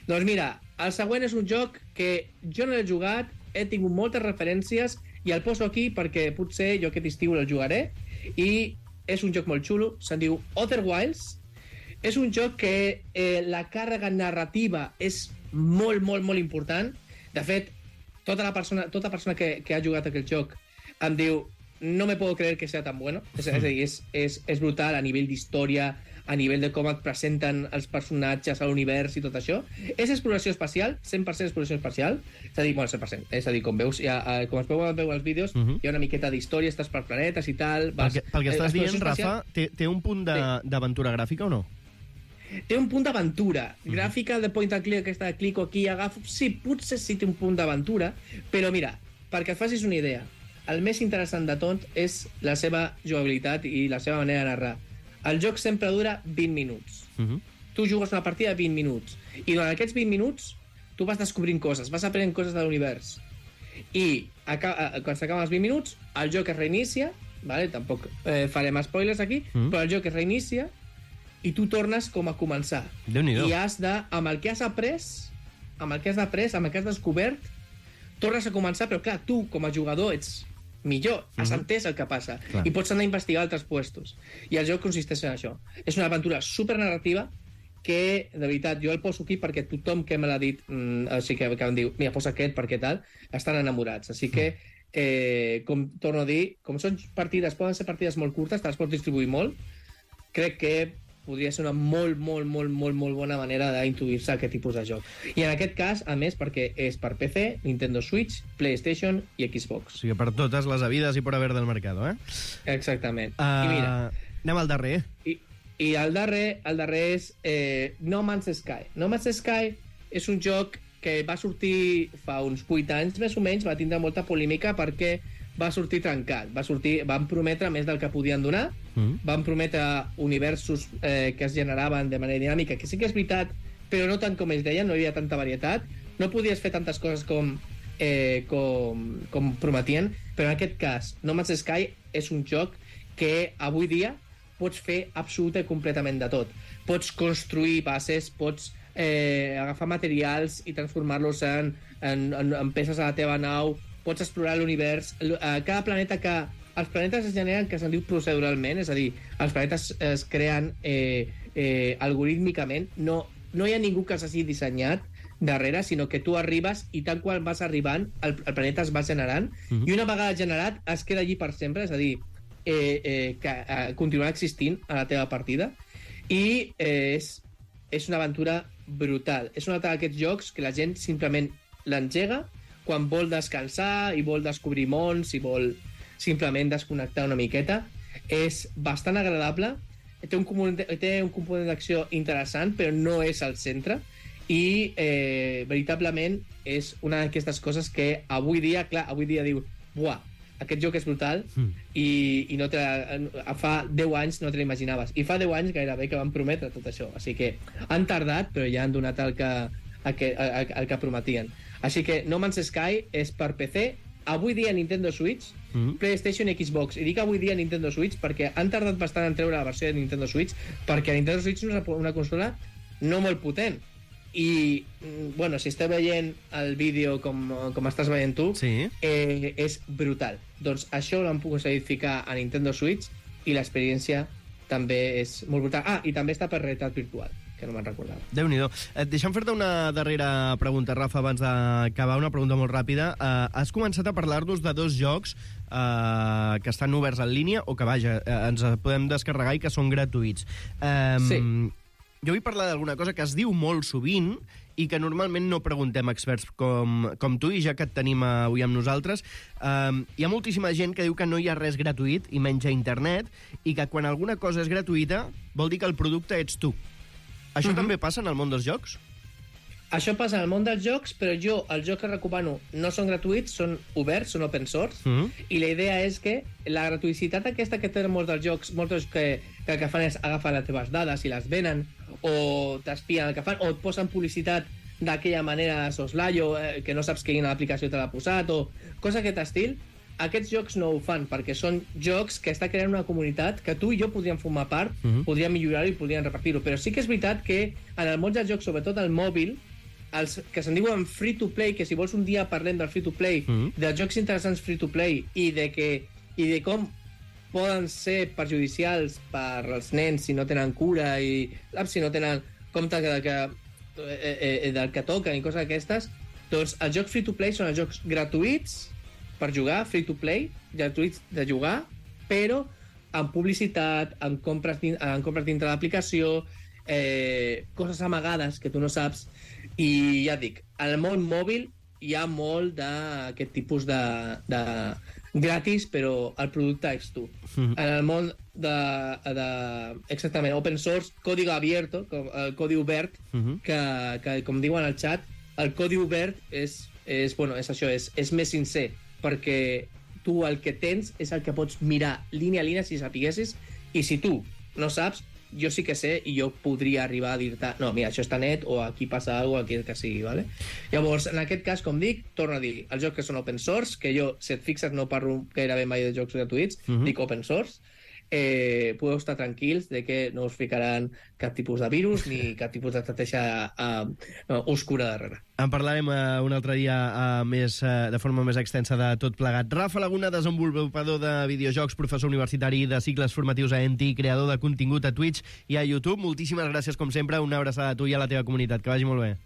Speaker 6: Doncs mira, el següent és un joc que jo no l'he jugat, he tingut moltes referències i el poso aquí perquè potser jo aquest estiu el jugaré, i és un joc molt xulo, se'n diu Other Wilds. És un joc que eh, la càrrega narrativa és molt, molt, molt important. De fet, tota la persona, tota persona que, que ha jugat aquest joc em diu no me puedo creer que sea tan bueno. És, és a dir, és, és, és brutal a nivell d'història, a nivell de com et presenten els personatges a l'univers i tot això. És exploració espacial, cent per cent exploració espacial. És a dir, bueno, cent per cent. És a dir, com veus, ja, com es veuen veure els vídeos, uh -huh. hi ha una miqueta d'història, estàs per planetes i tal. Vas,
Speaker 2: pel que, pel que estàs dient, Rafa, té, té un punt d'aventura sí. gràfica o no?
Speaker 6: Té un punt d'aventura. Gràfica de point and click, aquesta de clico aquí, agafo... Sí, potser sí té un punt d'aventura, però mira, perquè et facis una idea, el més interessant de tot és la seva jugabilitat i la seva manera de narrar. El joc sempre dura vint minuts. Uh -huh. Tu jugues una partida de vint minuts, i durant aquests vint minuts tu vas descobrint coses, vas aprenent coses de l'univers. I quan s'acaben els vint minuts, el joc es reinicia, vale? Tampoc eh, farem spoilers aquí, mm. però el joc es reinicia i tu tornes com a començar.
Speaker 2: Déu-n'hi-do.
Speaker 6: I has de, amb el que has après, amb el que has après, amb el que has descobert, tornes a començar, però clar, tu com a jugador ets millor, has mm-hmm. entès el que passa, clar. I pots anar a investigar altres puestos. I el joc consisteix en això. És una aventura supernarrativa que, de veritat, jo el poso aquí perquè tothom que me l'ha dit, mm, o sigui, que, que em diu, mira, posa aquest perquè tal, estan enamorats. Així que, eh, com torno a dir, com són partides, poden ser partides molt curtes, te les pots distribuir molt, crec que podria ser una molt, molt, molt, molt, molt bona manera d'introduir-se a aquest tipus de joc. I en aquest cas, a més, perquè és per P C, Nintendo Switch, PlayStation i Xbox.
Speaker 2: O sigui, per totes les habides i por haver del mercado, eh?
Speaker 6: Exactament.
Speaker 2: Uh,
Speaker 6: I mira...
Speaker 2: Anem al darrer.
Speaker 6: I, I el darrer, el darrer és eh, No Man's Sky. No Man's Sky és un joc que va sortir fa uns vuit anys, més o menys, va tindre molta polèmica perquè va sortir trencat. Va sortir, van prometre més del que podien donar, mm. van prometre universos eh, que es generaven de manera dinàmica, que sí que és veritat, però no tant com ells deien, no hi havia tanta varietat, no podies fer tantes coses com, eh, com, com prometien, però en aquest cas, No Man's Sky és un joc que avui dia pots fer absolutament i completament de tot. Pots construir bases, pots eh, agafar materials i transformar-los en, en, en, en peces a la teva nau, pots explorar l'univers. Cada planeta que... Els planetes es generen que se'n diu proceduralment, és a dir, els planetes es creen eh, eh, algorítmicament. No, no hi ha ningú que s'hagi dissenyat darrere, sinó que tu arribes i tal qual vas arribant, el, el planeta es va generant, uh-huh. i una vegada generat es queda allí per sempre, és a dir, Eh, eh, que eh, continuarà existint a la teva partida, i eh, és, és una aventura brutal. És un d'aquests jocs que la gent simplement l'engega quan vol descansar i vol descobrir mons i vol simplement desconnectar una miqueta. És bastant agradable, té un component, té un component d'acció interessant, però no és al centre, i eh, veritablement és una d'aquestes coses que avui dia, clar, avui dia diu, buah, aquest joc és brutal, mm. i, i no te la, fa deu anys no te l'imaginaves. I fa deu anys gairebé que van prometre tot això. Així que han tardat, però ja han donat el que, el que, el, el que prometien. Així que No Man's Sky és per P C, avui dia Nintendo Switch, mm. PlayStation i Xbox. I dic avui dia Nintendo Switch perquè han tardat bastant en treure la versió de Nintendo Switch, perquè Nintendo Switch és una, una consola no molt potent. I, bueno, si esteu veient el vídeo com, com estàs veient tu, sí. eh, és brutal. Doncs això l'han pogut ficar a Nintendo Switch i l'experiència també és molt brutal. Ah, i també està per realitat virtual, que no me'n recordava.
Speaker 2: Déu-n'hi-do. Eh, deixa'm fer-te una darrera pregunta, Rafa, abans d'acabar, una pregunta molt ràpida. Eh, has començat a parlar-nos de dos jocs eh, que estan oberts en línia, o que, vaja, eh, ens podem descarregar i que són gratuïts. Eh, sí. Jo vull parlar d'alguna cosa que es diu molt sovint i que normalment no preguntem a experts com, com tu, i ja que et tenim avui amb nosaltres, eh, hi ha moltíssima gent que diu que no hi ha res gratuït, i menys a internet, i que quan alguna cosa és gratuïta vol dir que el producte ets tu. Això uh-huh. també passa en el món dels jocs?
Speaker 6: Això passa en el món dels jocs, però jo, els jocs que recomano no són gratuïts, són oberts, són open source, uh-huh. i la idea és que la gratuïcitat aquesta que tenen molts dels jocs, molts que, que el que fan és agafar les teves dades i les venen, o t'espien el que fan, o et posen publicitat d'aquella manera de soslayo, eh, que no saps quina aplicació te l'ha posat, o cosa d'aquest estil. Aquests jocs no ho fan, perquè són jocs que està creant una comunitat que tu i jo podríem formar part, uh-huh. podríem millorar-ho i podríem repartir-ho. Però sí que és veritat que en el món dels jocs, sobretot el mòbil, els que se'n diuen free-to-play, que si vols un dia parlem del free-to-play, uh-huh. dels jocs interessants free-to-play, i de, que, i de com poden ser perjudicials per als nens si no tenen cura i si no tenen compte de que, eh, eh, del que toquen i coses d'aquestes, doncs els jocs free-to-play són els jocs gratuïts per jugar, free-to-play, gratuïts de jugar, però amb publicitat, amb compres, amb compres dintre l'aplicació, eh, coses amagades que tu no saps. I ja et dic, el món mòbil hi ha molt d'aquest tipus de, de gratis, però el producte ets tu. Mm. En el món de, de exactament, open source, código abierto, com, el codi obert, mm -hmm. que, que, com diuen al chat, el codi obert és, és, bueno, és això, és, és més sincer, perquè tu el que tens és el que pots mirar línia a línia si sapiguessis, i si tu no saps, jo sí que sé i jo podria arribar a dir-te no, mira, això està net, o aquí passa alguna cosa, aquí el que sigui, ¿vale? Llavors, en aquest cas, com dic, torno a dir, els jocs que són open source, que jo, si et fixes, no parlo gairebé mai de jocs gratuïts, uh -huh. dic open source, eh, podeu estar tranquils de que no us ficaran cap tipus de virus ni cap tipus d'estratègia uh, uh, oscura darrere.
Speaker 2: En parlarem uh, un altre dia uh, més, uh, de forma més extensa de tot plegat. Rafa Laguna, desenvolupador de videojocs, professor universitari de cicles formatius a E N T I, creador de contingut a Twitch i a YouTube. Moltíssimes gràcies, com sempre. Una abraçada a tu i a la teva comunitat. Que vagi molt bé.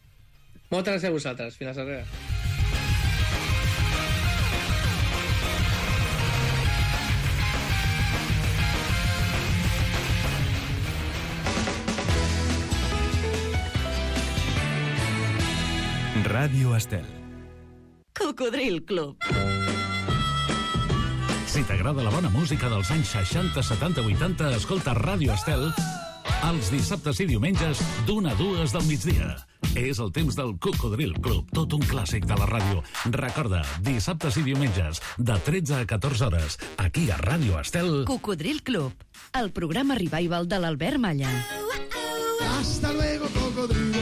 Speaker 6: Moltes gràcies a vosaltres. Fins a darrere.
Speaker 1: Ràdio Estel.
Speaker 5: Cocodril Club.
Speaker 7: Si t'agrada la bona música dels anys seixanta, setanta, vuitanta, escolta Ràdio Estel els dissabtes i diumenges d'una a dues del migdia. És el temps del Cocodril Club, tot un clàssic de la ràdio. Recorda, dissabtes i diumenges, de tretze a catorze hores, aquí a Ràdio Estel.
Speaker 5: Cocodril Club, el programa revival de l'Albert Malla.
Speaker 8: Hasta luego, cocodrilo.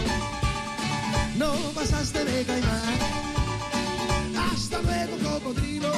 Speaker 8: No pasaste de caimán. Hasta luego, cocodrilo.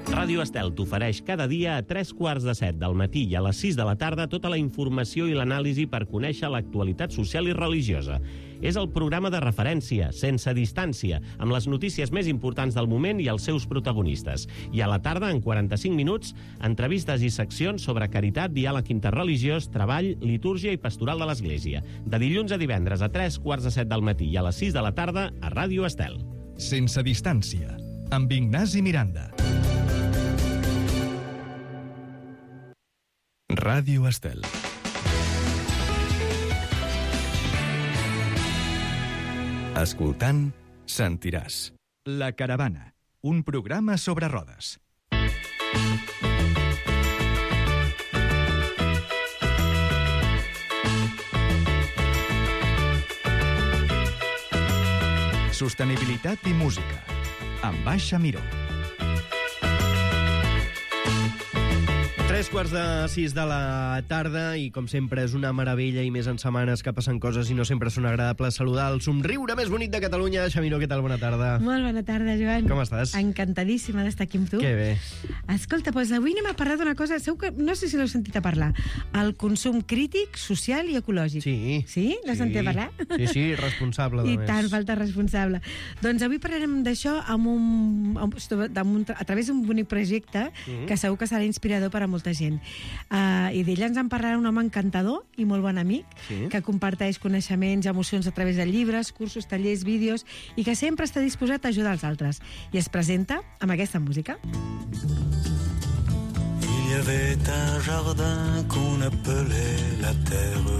Speaker 9: Ràdio Estel t'ofereix cada dia a tres quarts de set del matí i a les sis de la tarda tota la informació i l'anàlisi per conèixer l'actualitat social i religiosa. És el programa de referència, sense distància, amb les notícies més importants del moment i els seus protagonistes. I a la tarda, en quaranta-cinc minuts, entrevistes i seccions sobre caritat, diàleg interreligiós, treball, litúrgia i pastoral de l'Església. De dilluns a divendres a tres quarts de set del matí i a les sis de la tarda a Ràdio Estel.
Speaker 1: Sense distància, amb Ignasi Miranda. Ràdio Estel. Escoltant, sentiràs. La Caravana, un programa sobre rodes. Sostenibilitat i música, amb Baixa Miró.
Speaker 2: Tres quarts de sis de la tarda i, com sempre, és una meravella i més en setmanes que passen coses i no sempre són agradables saludar el somriure més bonic de Catalunya. Xamiró, què tal? Bona tarda.
Speaker 10: Molt bona tarda, Joan.
Speaker 2: Com estàs?
Speaker 10: Encantadíssima d'estar aquí amb tu.
Speaker 2: Que bé.
Speaker 10: Escolta, doncs avui anem a parlar d'una cosa, segur que, no sé si l'heu sentit a parlar, el consum crític, social i ecològic.
Speaker 2: Sí.
Speaker 10: Sí? L'has
Speaker 2: sí.
Speaker 10: sentit a parlar?
Speaker 2: Sí, sí, responsable.
Speaker 10: I
Speaker 2: més.
Speaker 10: tant, falta responsable. Doncs avui parlarem d'això amb un, amb, amb un, a través d'un bonic projecte mm-hmm. que segur que serà inspirador per a molta gent. Uh, I d'ell ens en parlarà un home encantador i molt bon amic, sí. que comparteix coneixements i emocions a través de llibres, cursos, tallers, vídeos, i que sempre està disposat a ajudar els altres. I es presenta amb aquesta música.
Speaker 4: Il y avait un jardin qu'on appelait la terre.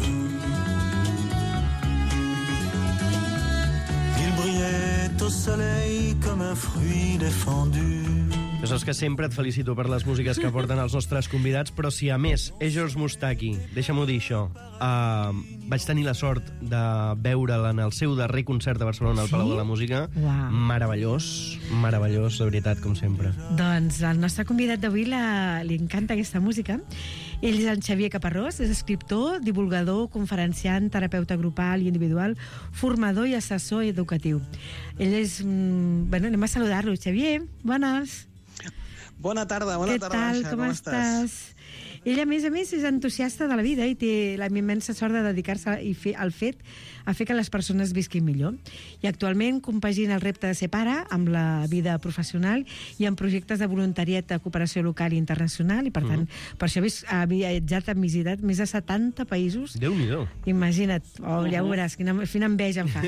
Speaker 4: Il brillait au soleil comme un fruit défendu.
Speaker 2: Ja saps que sempre et felicito per les músiques que porten els nostres convidats, però si a més és George Moustaki, deixa'm-ho dir això, uh, vaig tenir la sort de veure'l en el seu darrer concert a Barcelona al sí? Palau de la Música.
Speaker 10: Wow.
Speaker 2: Meravellós, meravellós, de veritat, com sempre.
Speaker 10: Doncs el nostre convidat d'avui la, li encanta aquesta música. Ell és en Xavier Caparrós, és escriptor, divulgador, conferenciant, terapeuta grupal i individual, formador i assessor educatiu. Ell és... Mm, bueno, anem a saludar-lo. Xavier, bones.
Speaker 11: Bona tarda, bona
Speaker 10: Què
Speaker 11: tarda,
Speaker 10: tal,
Speaker 11: Baixa,
Speaker 10: com,
Speaker 11: com
Speaker 10: estàs?
Speaker 11: estàs?
Speaker 10: Ell, a més a més, és entusiasta de la vida i té la immensa sort de dedicar-se i fer, al fet a fer que les persones visquin millor. I actualment compagina el repte de ser pare amb la vida professional i amb projectes de voluntariat de cooperació local i internacional, i per tant, mm. per això ha viatjat, ha visitat més de setanta països.
Speaker 2: Déu-n'hi-do.
Speaker 10: Imagina't, oh, ja ho veuràs, quina, quina enveja em fa.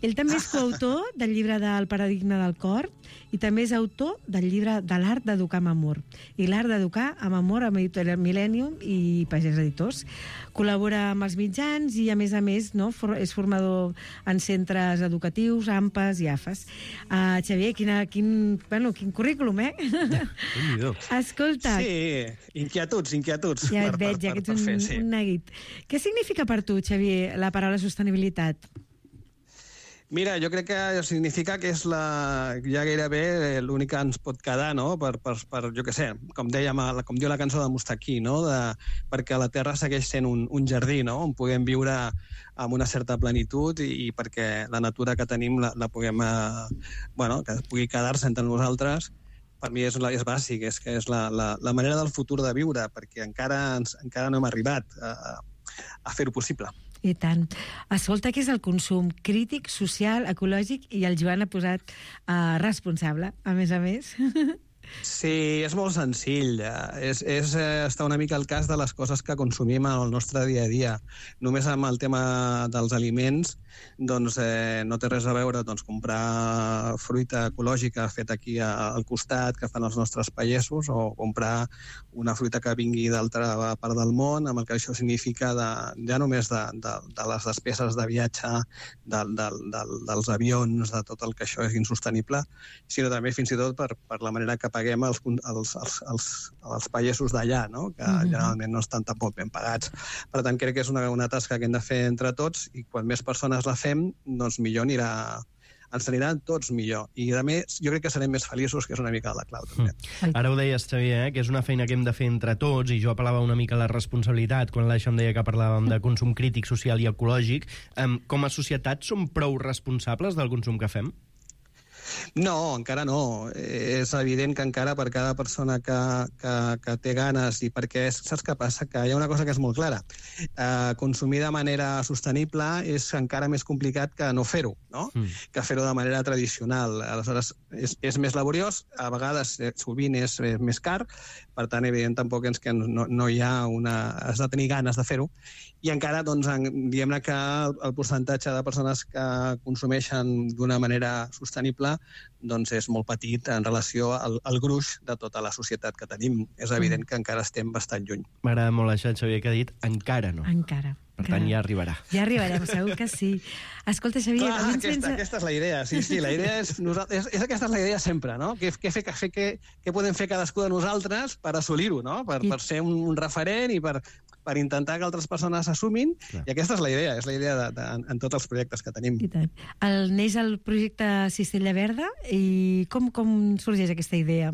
Speaker 10: Ell també és coautor del llibre del Paradigma del cor i també és autor del llibre de l'art d'educar amb amor i l'art d'educar amb amor amb Editorial Millennium i Pagès Editors. Col·labora amb els mitjans i, a més a més, no, for, és formador en centres educatius, A M P A S i A F A S. Uh, Xavier, quina, quin, bueno, quin currículum, eh? Escolta...
Speaker 11: Sí, inquietuds, inquietuds.
Speaker 10: Ja
Speaker 11: per,
Speaker 10: et veig, ja que ets un,
Speaker 11: fer, sí.
Speaker 10: un neguit. Què significa per tu, Xavier, la paraula sostenibilitat?
Speaker 11: Mira, jo crec que significa que és la, ja gairebé l'únic que ens pot quedar, no? Per, per, per jo què sé, com, dèiem, com diu la cançó de Mustaquí, no? De, perquè la Terra segueix sent un, un jardí, no? On puguem viure amb una certa plenitud i, i perquè la natura que tenim la, la puguem, eh, bueno, que pugui quedar-se entre nosaltres. Per mi és, és bàsic, és que és la, la, la manera del futur de viure, perquè encara, ens, encara no hem arribat a, a fer-ho possible.
Speaker 10: I tant. Escolta, què és el consum crític, social, ecològic, i el Joan ha posat uh, responsable, a més a més.
Speaker 11: Sí, és molt senzill. És, és està una mica al cas de les coses que consumim en el nostre dia a dia. Només amb el tema dels aliments doncs, eh, no té res a veure doncs, comprar fruita ecològica feta aquí al costat, que fan els nostres pagesos, o comprar una fruita que vingui d'altra part del món, amb el que això significa de, ja només de, de, de les despeses de viatge, de, de, de, dels avions, de tot el que això és insostenible, sinó també fins i tot per, per la manera que paguem els, els, els, els, els pagesos d'allà, no? Que mm-hmm. generalment no estan tampoc ben pagats. Per tant, crec que és una, una tasca que hem de fer entre tots, i quan més persones la fem, doncs millor anirà, ens aniran tots millor. I a més, jo crec que serem més feliços, que és una mica la clau, també.
Speaker 2: Mm. Ara ho deies, Xavier, eh? Que és una feina que hem de fer entre tots, i jo apel·lava una mica a la responsabilitat quan l'Aixa em deia que parlàvem de consum crític, social i ecològic. Um, com a societat som prou responsables del consum que fem?
Speaker 11: No, encara no. És evident que encara per cada persona que, que, que té ganes, i perquè saps què passa? Que hi ha una cosa que és molt clara. Eh, consumir de manera sostenible és encara més complicat que no fer-ho, no? Mm. Que fer-ho de manera tradicional. Aleshores, és, és més laboriós, a vegades sovint és més car, per tant, evident, tampoc és que no, no hi ha una... has de tenir ganes de fer-ho, i encara, doncs, diguem-ne que el percentatge de persones que consumeixen d'una manera sostenible doncs és molt petit en relació al, al gruix de tota la societat que tenim. És evident que encara estem bastant lluny.
Speaker 2: M'agrada molt això, Xavier, que ha dit encara no.
Speaker 10: Encara.
Speaker 2: Per tant, ja arribarà.
Speaker 10: Ja arribarem, segur que sí. Escolta, Xavier...
Speaker 11: Clar, aquesta, sense... aquesta és la idea, sí, sí, la idea és, és, és aquesta és la idea sempre, no? Què, què, fer, què, què, què podem fer cadascú de nosaltres per assolir-ho, no? Per, I... per ser un, un referent i per, per intentar que altres persones s'assumin, i aquesta és la idea, és la idea de, de, en, en tots els projectes que tenim.
Speaker 10: I tant. El, neix el projecte Cistella Verda, i com, com sorgeix aquesta idea?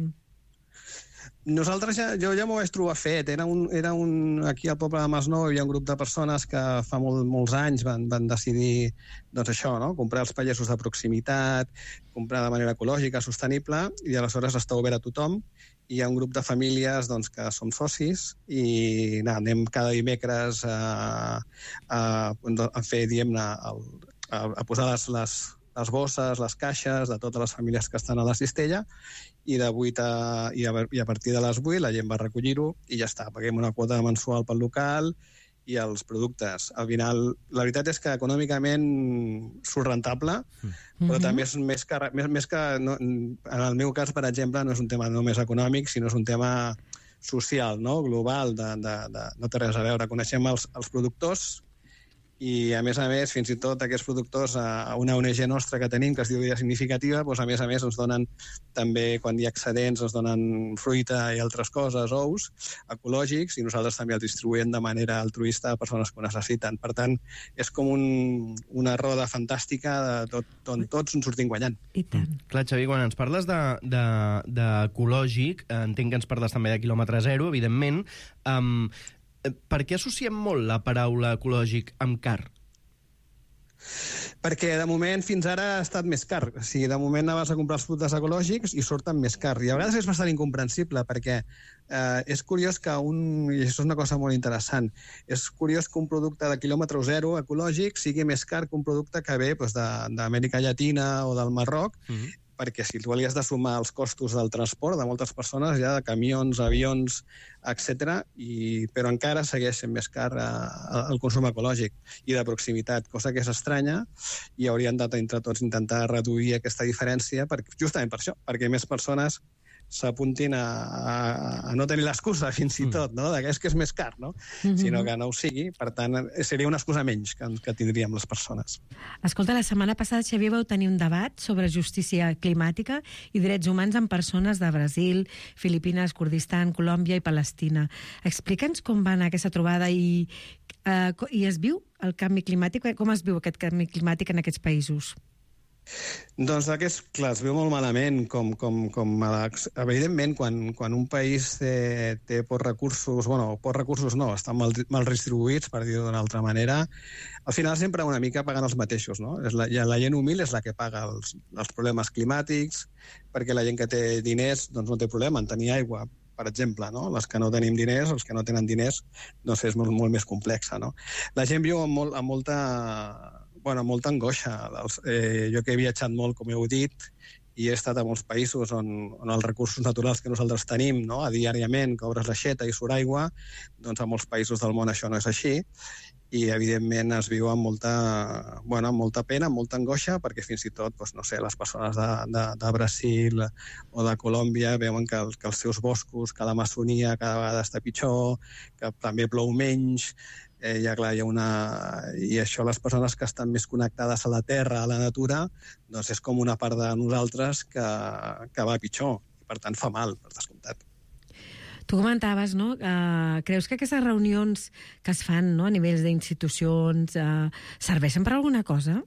Speaker 11: Nosaltres ja, jo ja m'ho vaig trobar fet. Era un, era un, aquí al poble de Masnou hi havia un grup de persones que fa molt, molts anys van, van decidir doncs això, no? Comprar els pagesos de proximitat, comprar de manera ecològica, sostenible, i aleshores està obert a tothom. Hi ha un grup de famílies doncs, que som socis i na, anem cada dimecres a, a, a fer, diguem-ne, a, a posar les, les, les bosses, les caixes de totes les famílies que estan a la cistella, i de vuit a, i, a, i a partir de les vuit la gent va recollir-ho i ja està. Paguem una quota mensual pel local i els productes. Al final, la veritat és que econòmicament surt rentable, mm-hmm. però també és més que... Més, més que no, en el meu cas, per exemple, no és un tema només econòmic, sinó és un tema social, no? Global, de, de, de, no té res a veure. Coneixem els, els productors, i, a més a més, fins i tot aquests productors, a una O N G nostra que tenim, que es diu Vida Significativa, doncs, a més a més, ens donen també, quan hi ha excedents, ens donen fruita i altres coses, ous, ecològics, i nosaltres també els distribuïm de manera altruista a persones que ho necessiten. Per tant, és com un, una roda fantàstica de tot, on tots ens sortim guanyant.
Speaker 10: I tant.
Speaker 2: Clar, Xavier, quan ens parles d'ecològic, de, de, entenc que ens parles també de quilòmetre zero, evidentment. Um, Per què associem molt la paraula ecològic amb car?
Speaker 11: Perquè de moment fins ara ha estat més car. O sigui, de moment anaves a comprar els productes ecològics i surten més car. I a vegades és bastant incomprensible perquè eh, és curiós que un... I això és una cosa molt interessant. És curiós que un producte de quilòmetre zero ecològic sigui més car que un producte que ve doncs, d'Amèrica Llatina o del Marroc, mm-hmm. perquè si tu li has de sumar els costos del transport de moltes persones, ja de camions, avions, etcètera, i però encara segueix sent més car eh, el consum ecològic i de proximitat, cosa que és estranya, i haurien de entre tots intentar reduir aquesta diferència, per, justament per això, perquè més persones s'apuntin a, a, a no tenir l'excusa, fins i tot, no? De que és que és més car, no? Mm-hmm. Sinó que no ho sigui. Per tant, seria una excusa menys que, que tindríem les persones.
Speaker 10: Escolta, la setmana passada, Xavier, vau tenir un debat sobre justícia climàtica i drets humans amb persones de Brasil, Filipines, Kurdistan, Colòmbia i Palestina. Explica'ns com va anar aquesta trobada i, eh, i es viu el canvi climàtic? Com es viu aquest canvi climàtic en aquests països?
Speaker 11: Doncs aquest, clar, es veu molt malament, com, com, com evidentment, quan, quan un país té, té pocs recursos, bueno, pocs recursos no, estan mal, mal distribuïts, per dir-ho d'una altra manera, al final sempre una mica paguen els mateixos, no? És la, la gent humil és la que paga els, els problemes climàtics, perquè la gent que té diners doncs no té problema en tenir aigua, per exemple, no? Les que no tenim diners, els que no tenen diners, doncs és molt, molt més complexa, no? La gent viu amb, molt, amb molta... bueno, molta angoixa. Eh, jo que he viatjat molt, com heu dit, i he estat a molts països on, on els recursos naturals que nosaltres tenim, no? A diàriament, que obres l'aixeta i surt aigua, doncs a molts països del món això no és així, i evidentment es viu amb molta, bueno, amb molta pena, amb molta angoixa, perquè fins i tot, doncs, no sé, les persones de, de, de Brasil o de Colòmbia veuen que, el, que els seus boscos, que l'Amazonia cada vegada està pitjor, que també plou menys, Eh, ja, clar, hi ha una... I això, les persones que estan més connectades a la terra, a la natura, doncs és com una part de nosaltres que, que va pitjor. I, per tant, fa mal, per descomptat.
Speaker 10: Tu comentaves, no?, uh, creus que aquestes reunions que es fan, no?, a nivells d'institucions, uh, serveixen per alguna cosa?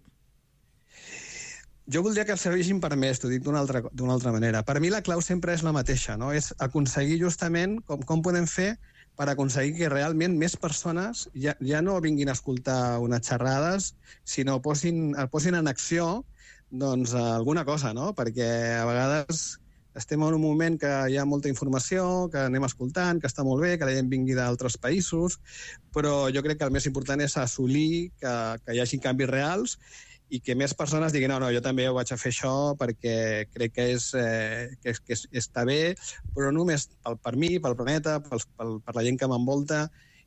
Speaker 11: Jo voldria que serveixin per més, t'ho dic d'una altra, d'una altra manera. Per mi la clau sempre és la mateixa, no? És aconseguir justament com, com podem fer per aconseguir que realment més persones ja, ja no vinguin a escoltar unes xerrades, sinó posin, posin en acció doncs, alguna cosa, no? Perquè a vegades estem en un moment que hi ha molta informació, que anem escoltant, que està molt bé, que la gent vingui d'altres països, però jo crec que el més important és assolir que, que hi hagi canvis reals i que més persones diguin no, no, jo també ho vaig a fer això perquè crec que, és, eh, que, és, que és, està bé, però només pel, per mi, pel planeta, pels, pel, per la gent que m'envolta.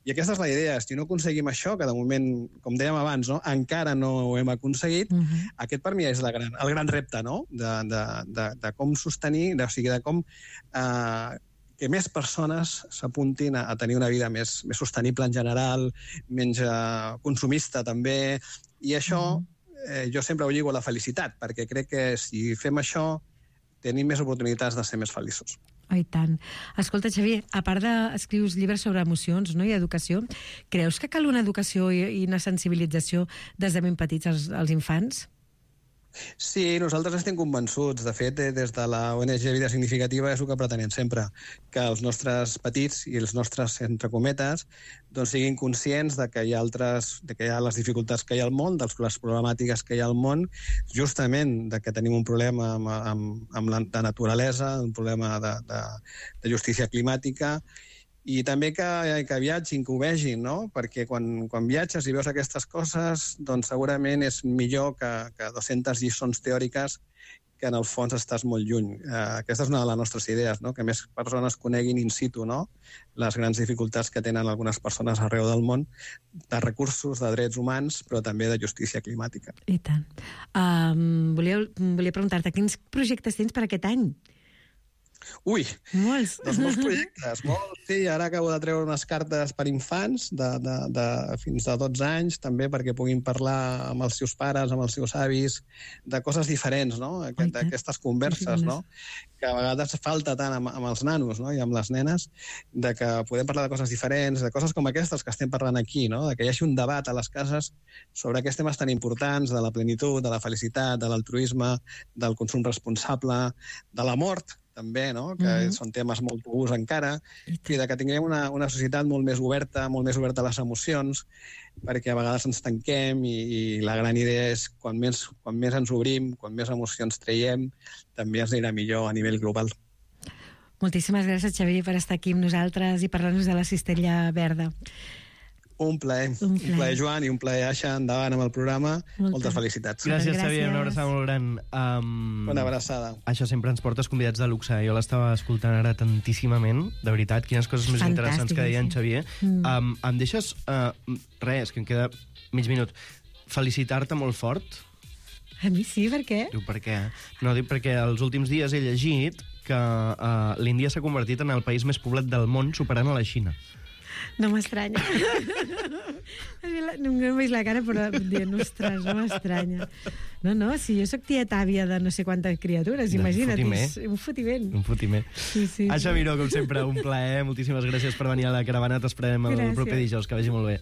Speaker 11: I aquesta és la idea. Si no aconseguim això, que de moment, com dèiem abans, no, encara no ho hem aconseguit, uh-huh. Aquest per mi és la gran, el gran repte, no? de, de, de, de com sostenir, de, o sigui, de com eh, que més persones s'apuntin a, a tenir una vida més, més sostenible en general, menys eh, consumista també, i això... Uh-huh. Eh, jo sempre ho lligo a la felicitat, perquè crec que si fem això tenim més oportunitats de ser més feliços.
Speaker 10: Oh, i tant. Escolta, Xavier, a part d'escrius llibres sobre emocions, no?, i educació, creus que cal una educació i, i una sensibilització des de ben petits als, als infants?
Speaker 11: Sí, nosaltres estem convençuts. De fet, des de la O N G Vida Significativa és el que pretenem sempre, que els nostres petits i els nostres, entre cometes, doncs siguin conscients de que hi ha altres, de que hi ha les dificultats que hi ha al món, de les problemàtiques que hi ha al món, justament de que tenim un problema amb, amb, amb la de naturalesa, un problema de, de, de justícia climàtica, i també que, que viatgin, que ho vegin, no? Perquè quan, quan viatges i veus aquestes coses, doncs segurament és millor que, que dues-centes lliçons teòriques que en el fons estàs molt lluny. Eh, aquesta és una de les nostres idees, no? Que més persones coneguin in situ, no?, les grans dificultats que tenen algunes persones arreu del món, de recursos, de drets humans, però també de justícia climàtica.
Speaker 10: I tant. Um, volia, volia preguntar-te, quins projectes tens per aquest any?
Speaker 11: Ui,
Speaker 10: molts.
Speaker 11: Doncs molts projectes, molts. Sí, ara acabo de treure unes cartes per infants de, de, de fins a dotze anys, també perquè puguin parlar amb els seus pares, amb els seus avis, de coses diferents, no? Aquest, aquestes converses, no?, que a vegades falta tant amb, amb els nanos, no?, i amb les nenes, de que podem parlar de coses diferents, de coses com aquestes que estem parlant aquí, no?, de que hi hagi un debat a les cases sobre aquests temes tan importants, de la plenitud, de la felicitat, de l'altruisme, del consum responsable, de la mort, també, no?, que mm-hmm. són temes molt tabús encara, i de que tinguem una, una societat molt més oberta, molt més oberta a les emocions, perquè a vegades ens tanquem i, i la gran idea és quan més, quan més ens obrim, quan més emocions traiem, també ens anirà millor a nivell global.
Speaker 10: Moltíssimes gràcies, Xavier, per estar aquí amb nosaltres i parlar-nos de la cistella verda.
Speaker 11: Un plaer.
Speaker 10: Un
Speaker 11: Un
Speaker 10: plaer.
Speaker 11: plaer, Joan, i un plaer, Aixa. Endavant amb el programa.
Speaker 10: Moltes.
Speaker 11: Moltes felicitats.
Speaker 2: Gràcies,
Speaker 10: Gràcies.
Speaker 2: Xavier, una abraçada molt gran. Um,
Speaker 11: Una abraçada.
Speaker 2: Això sempre ens portes convidats de luxe. Jo l'estava escoltant ara tantíssimament, de veritat, quines coses més
Speaker 10: Fantàstica,
Speaker 2: interessants que deia en
Speaker 10: sí.
Speaker 2: Xavier.
Speaker 10: Mm.
Speaker 2: Um, em deixes, uh, res, que em queda mig minut, felicitar-te molt fort?
Speaker 10: A mi sí, per què?
Speaker 2: Diu, per què? No, dic perquè els últims dies he llegit que uh, l'Índia s'ha convertit en el país més poblat del món, superant a la Xina.
Speaker 10: No m'estranya. No em veig la cara, però dient, ostres, no m'estranya. No, no, si jo sóc tieta àvia de no sé quantes criatures,
Speaker 2: De
Speaker 10: imagina't.
Speaker 2: fotiment.
Speaker 10: és Un fotiment.
Speaker 2: Un fotiment.
Speaker 10: Sí, sí.
Speaker 2: Aixa Miró, com sempre, un plaer. Moltíssimes gràcies per venir a la caravana. T'esperem el
Speaker 10: Gràcies.
Speaker 2: proper dijous. Que vagi molt bé.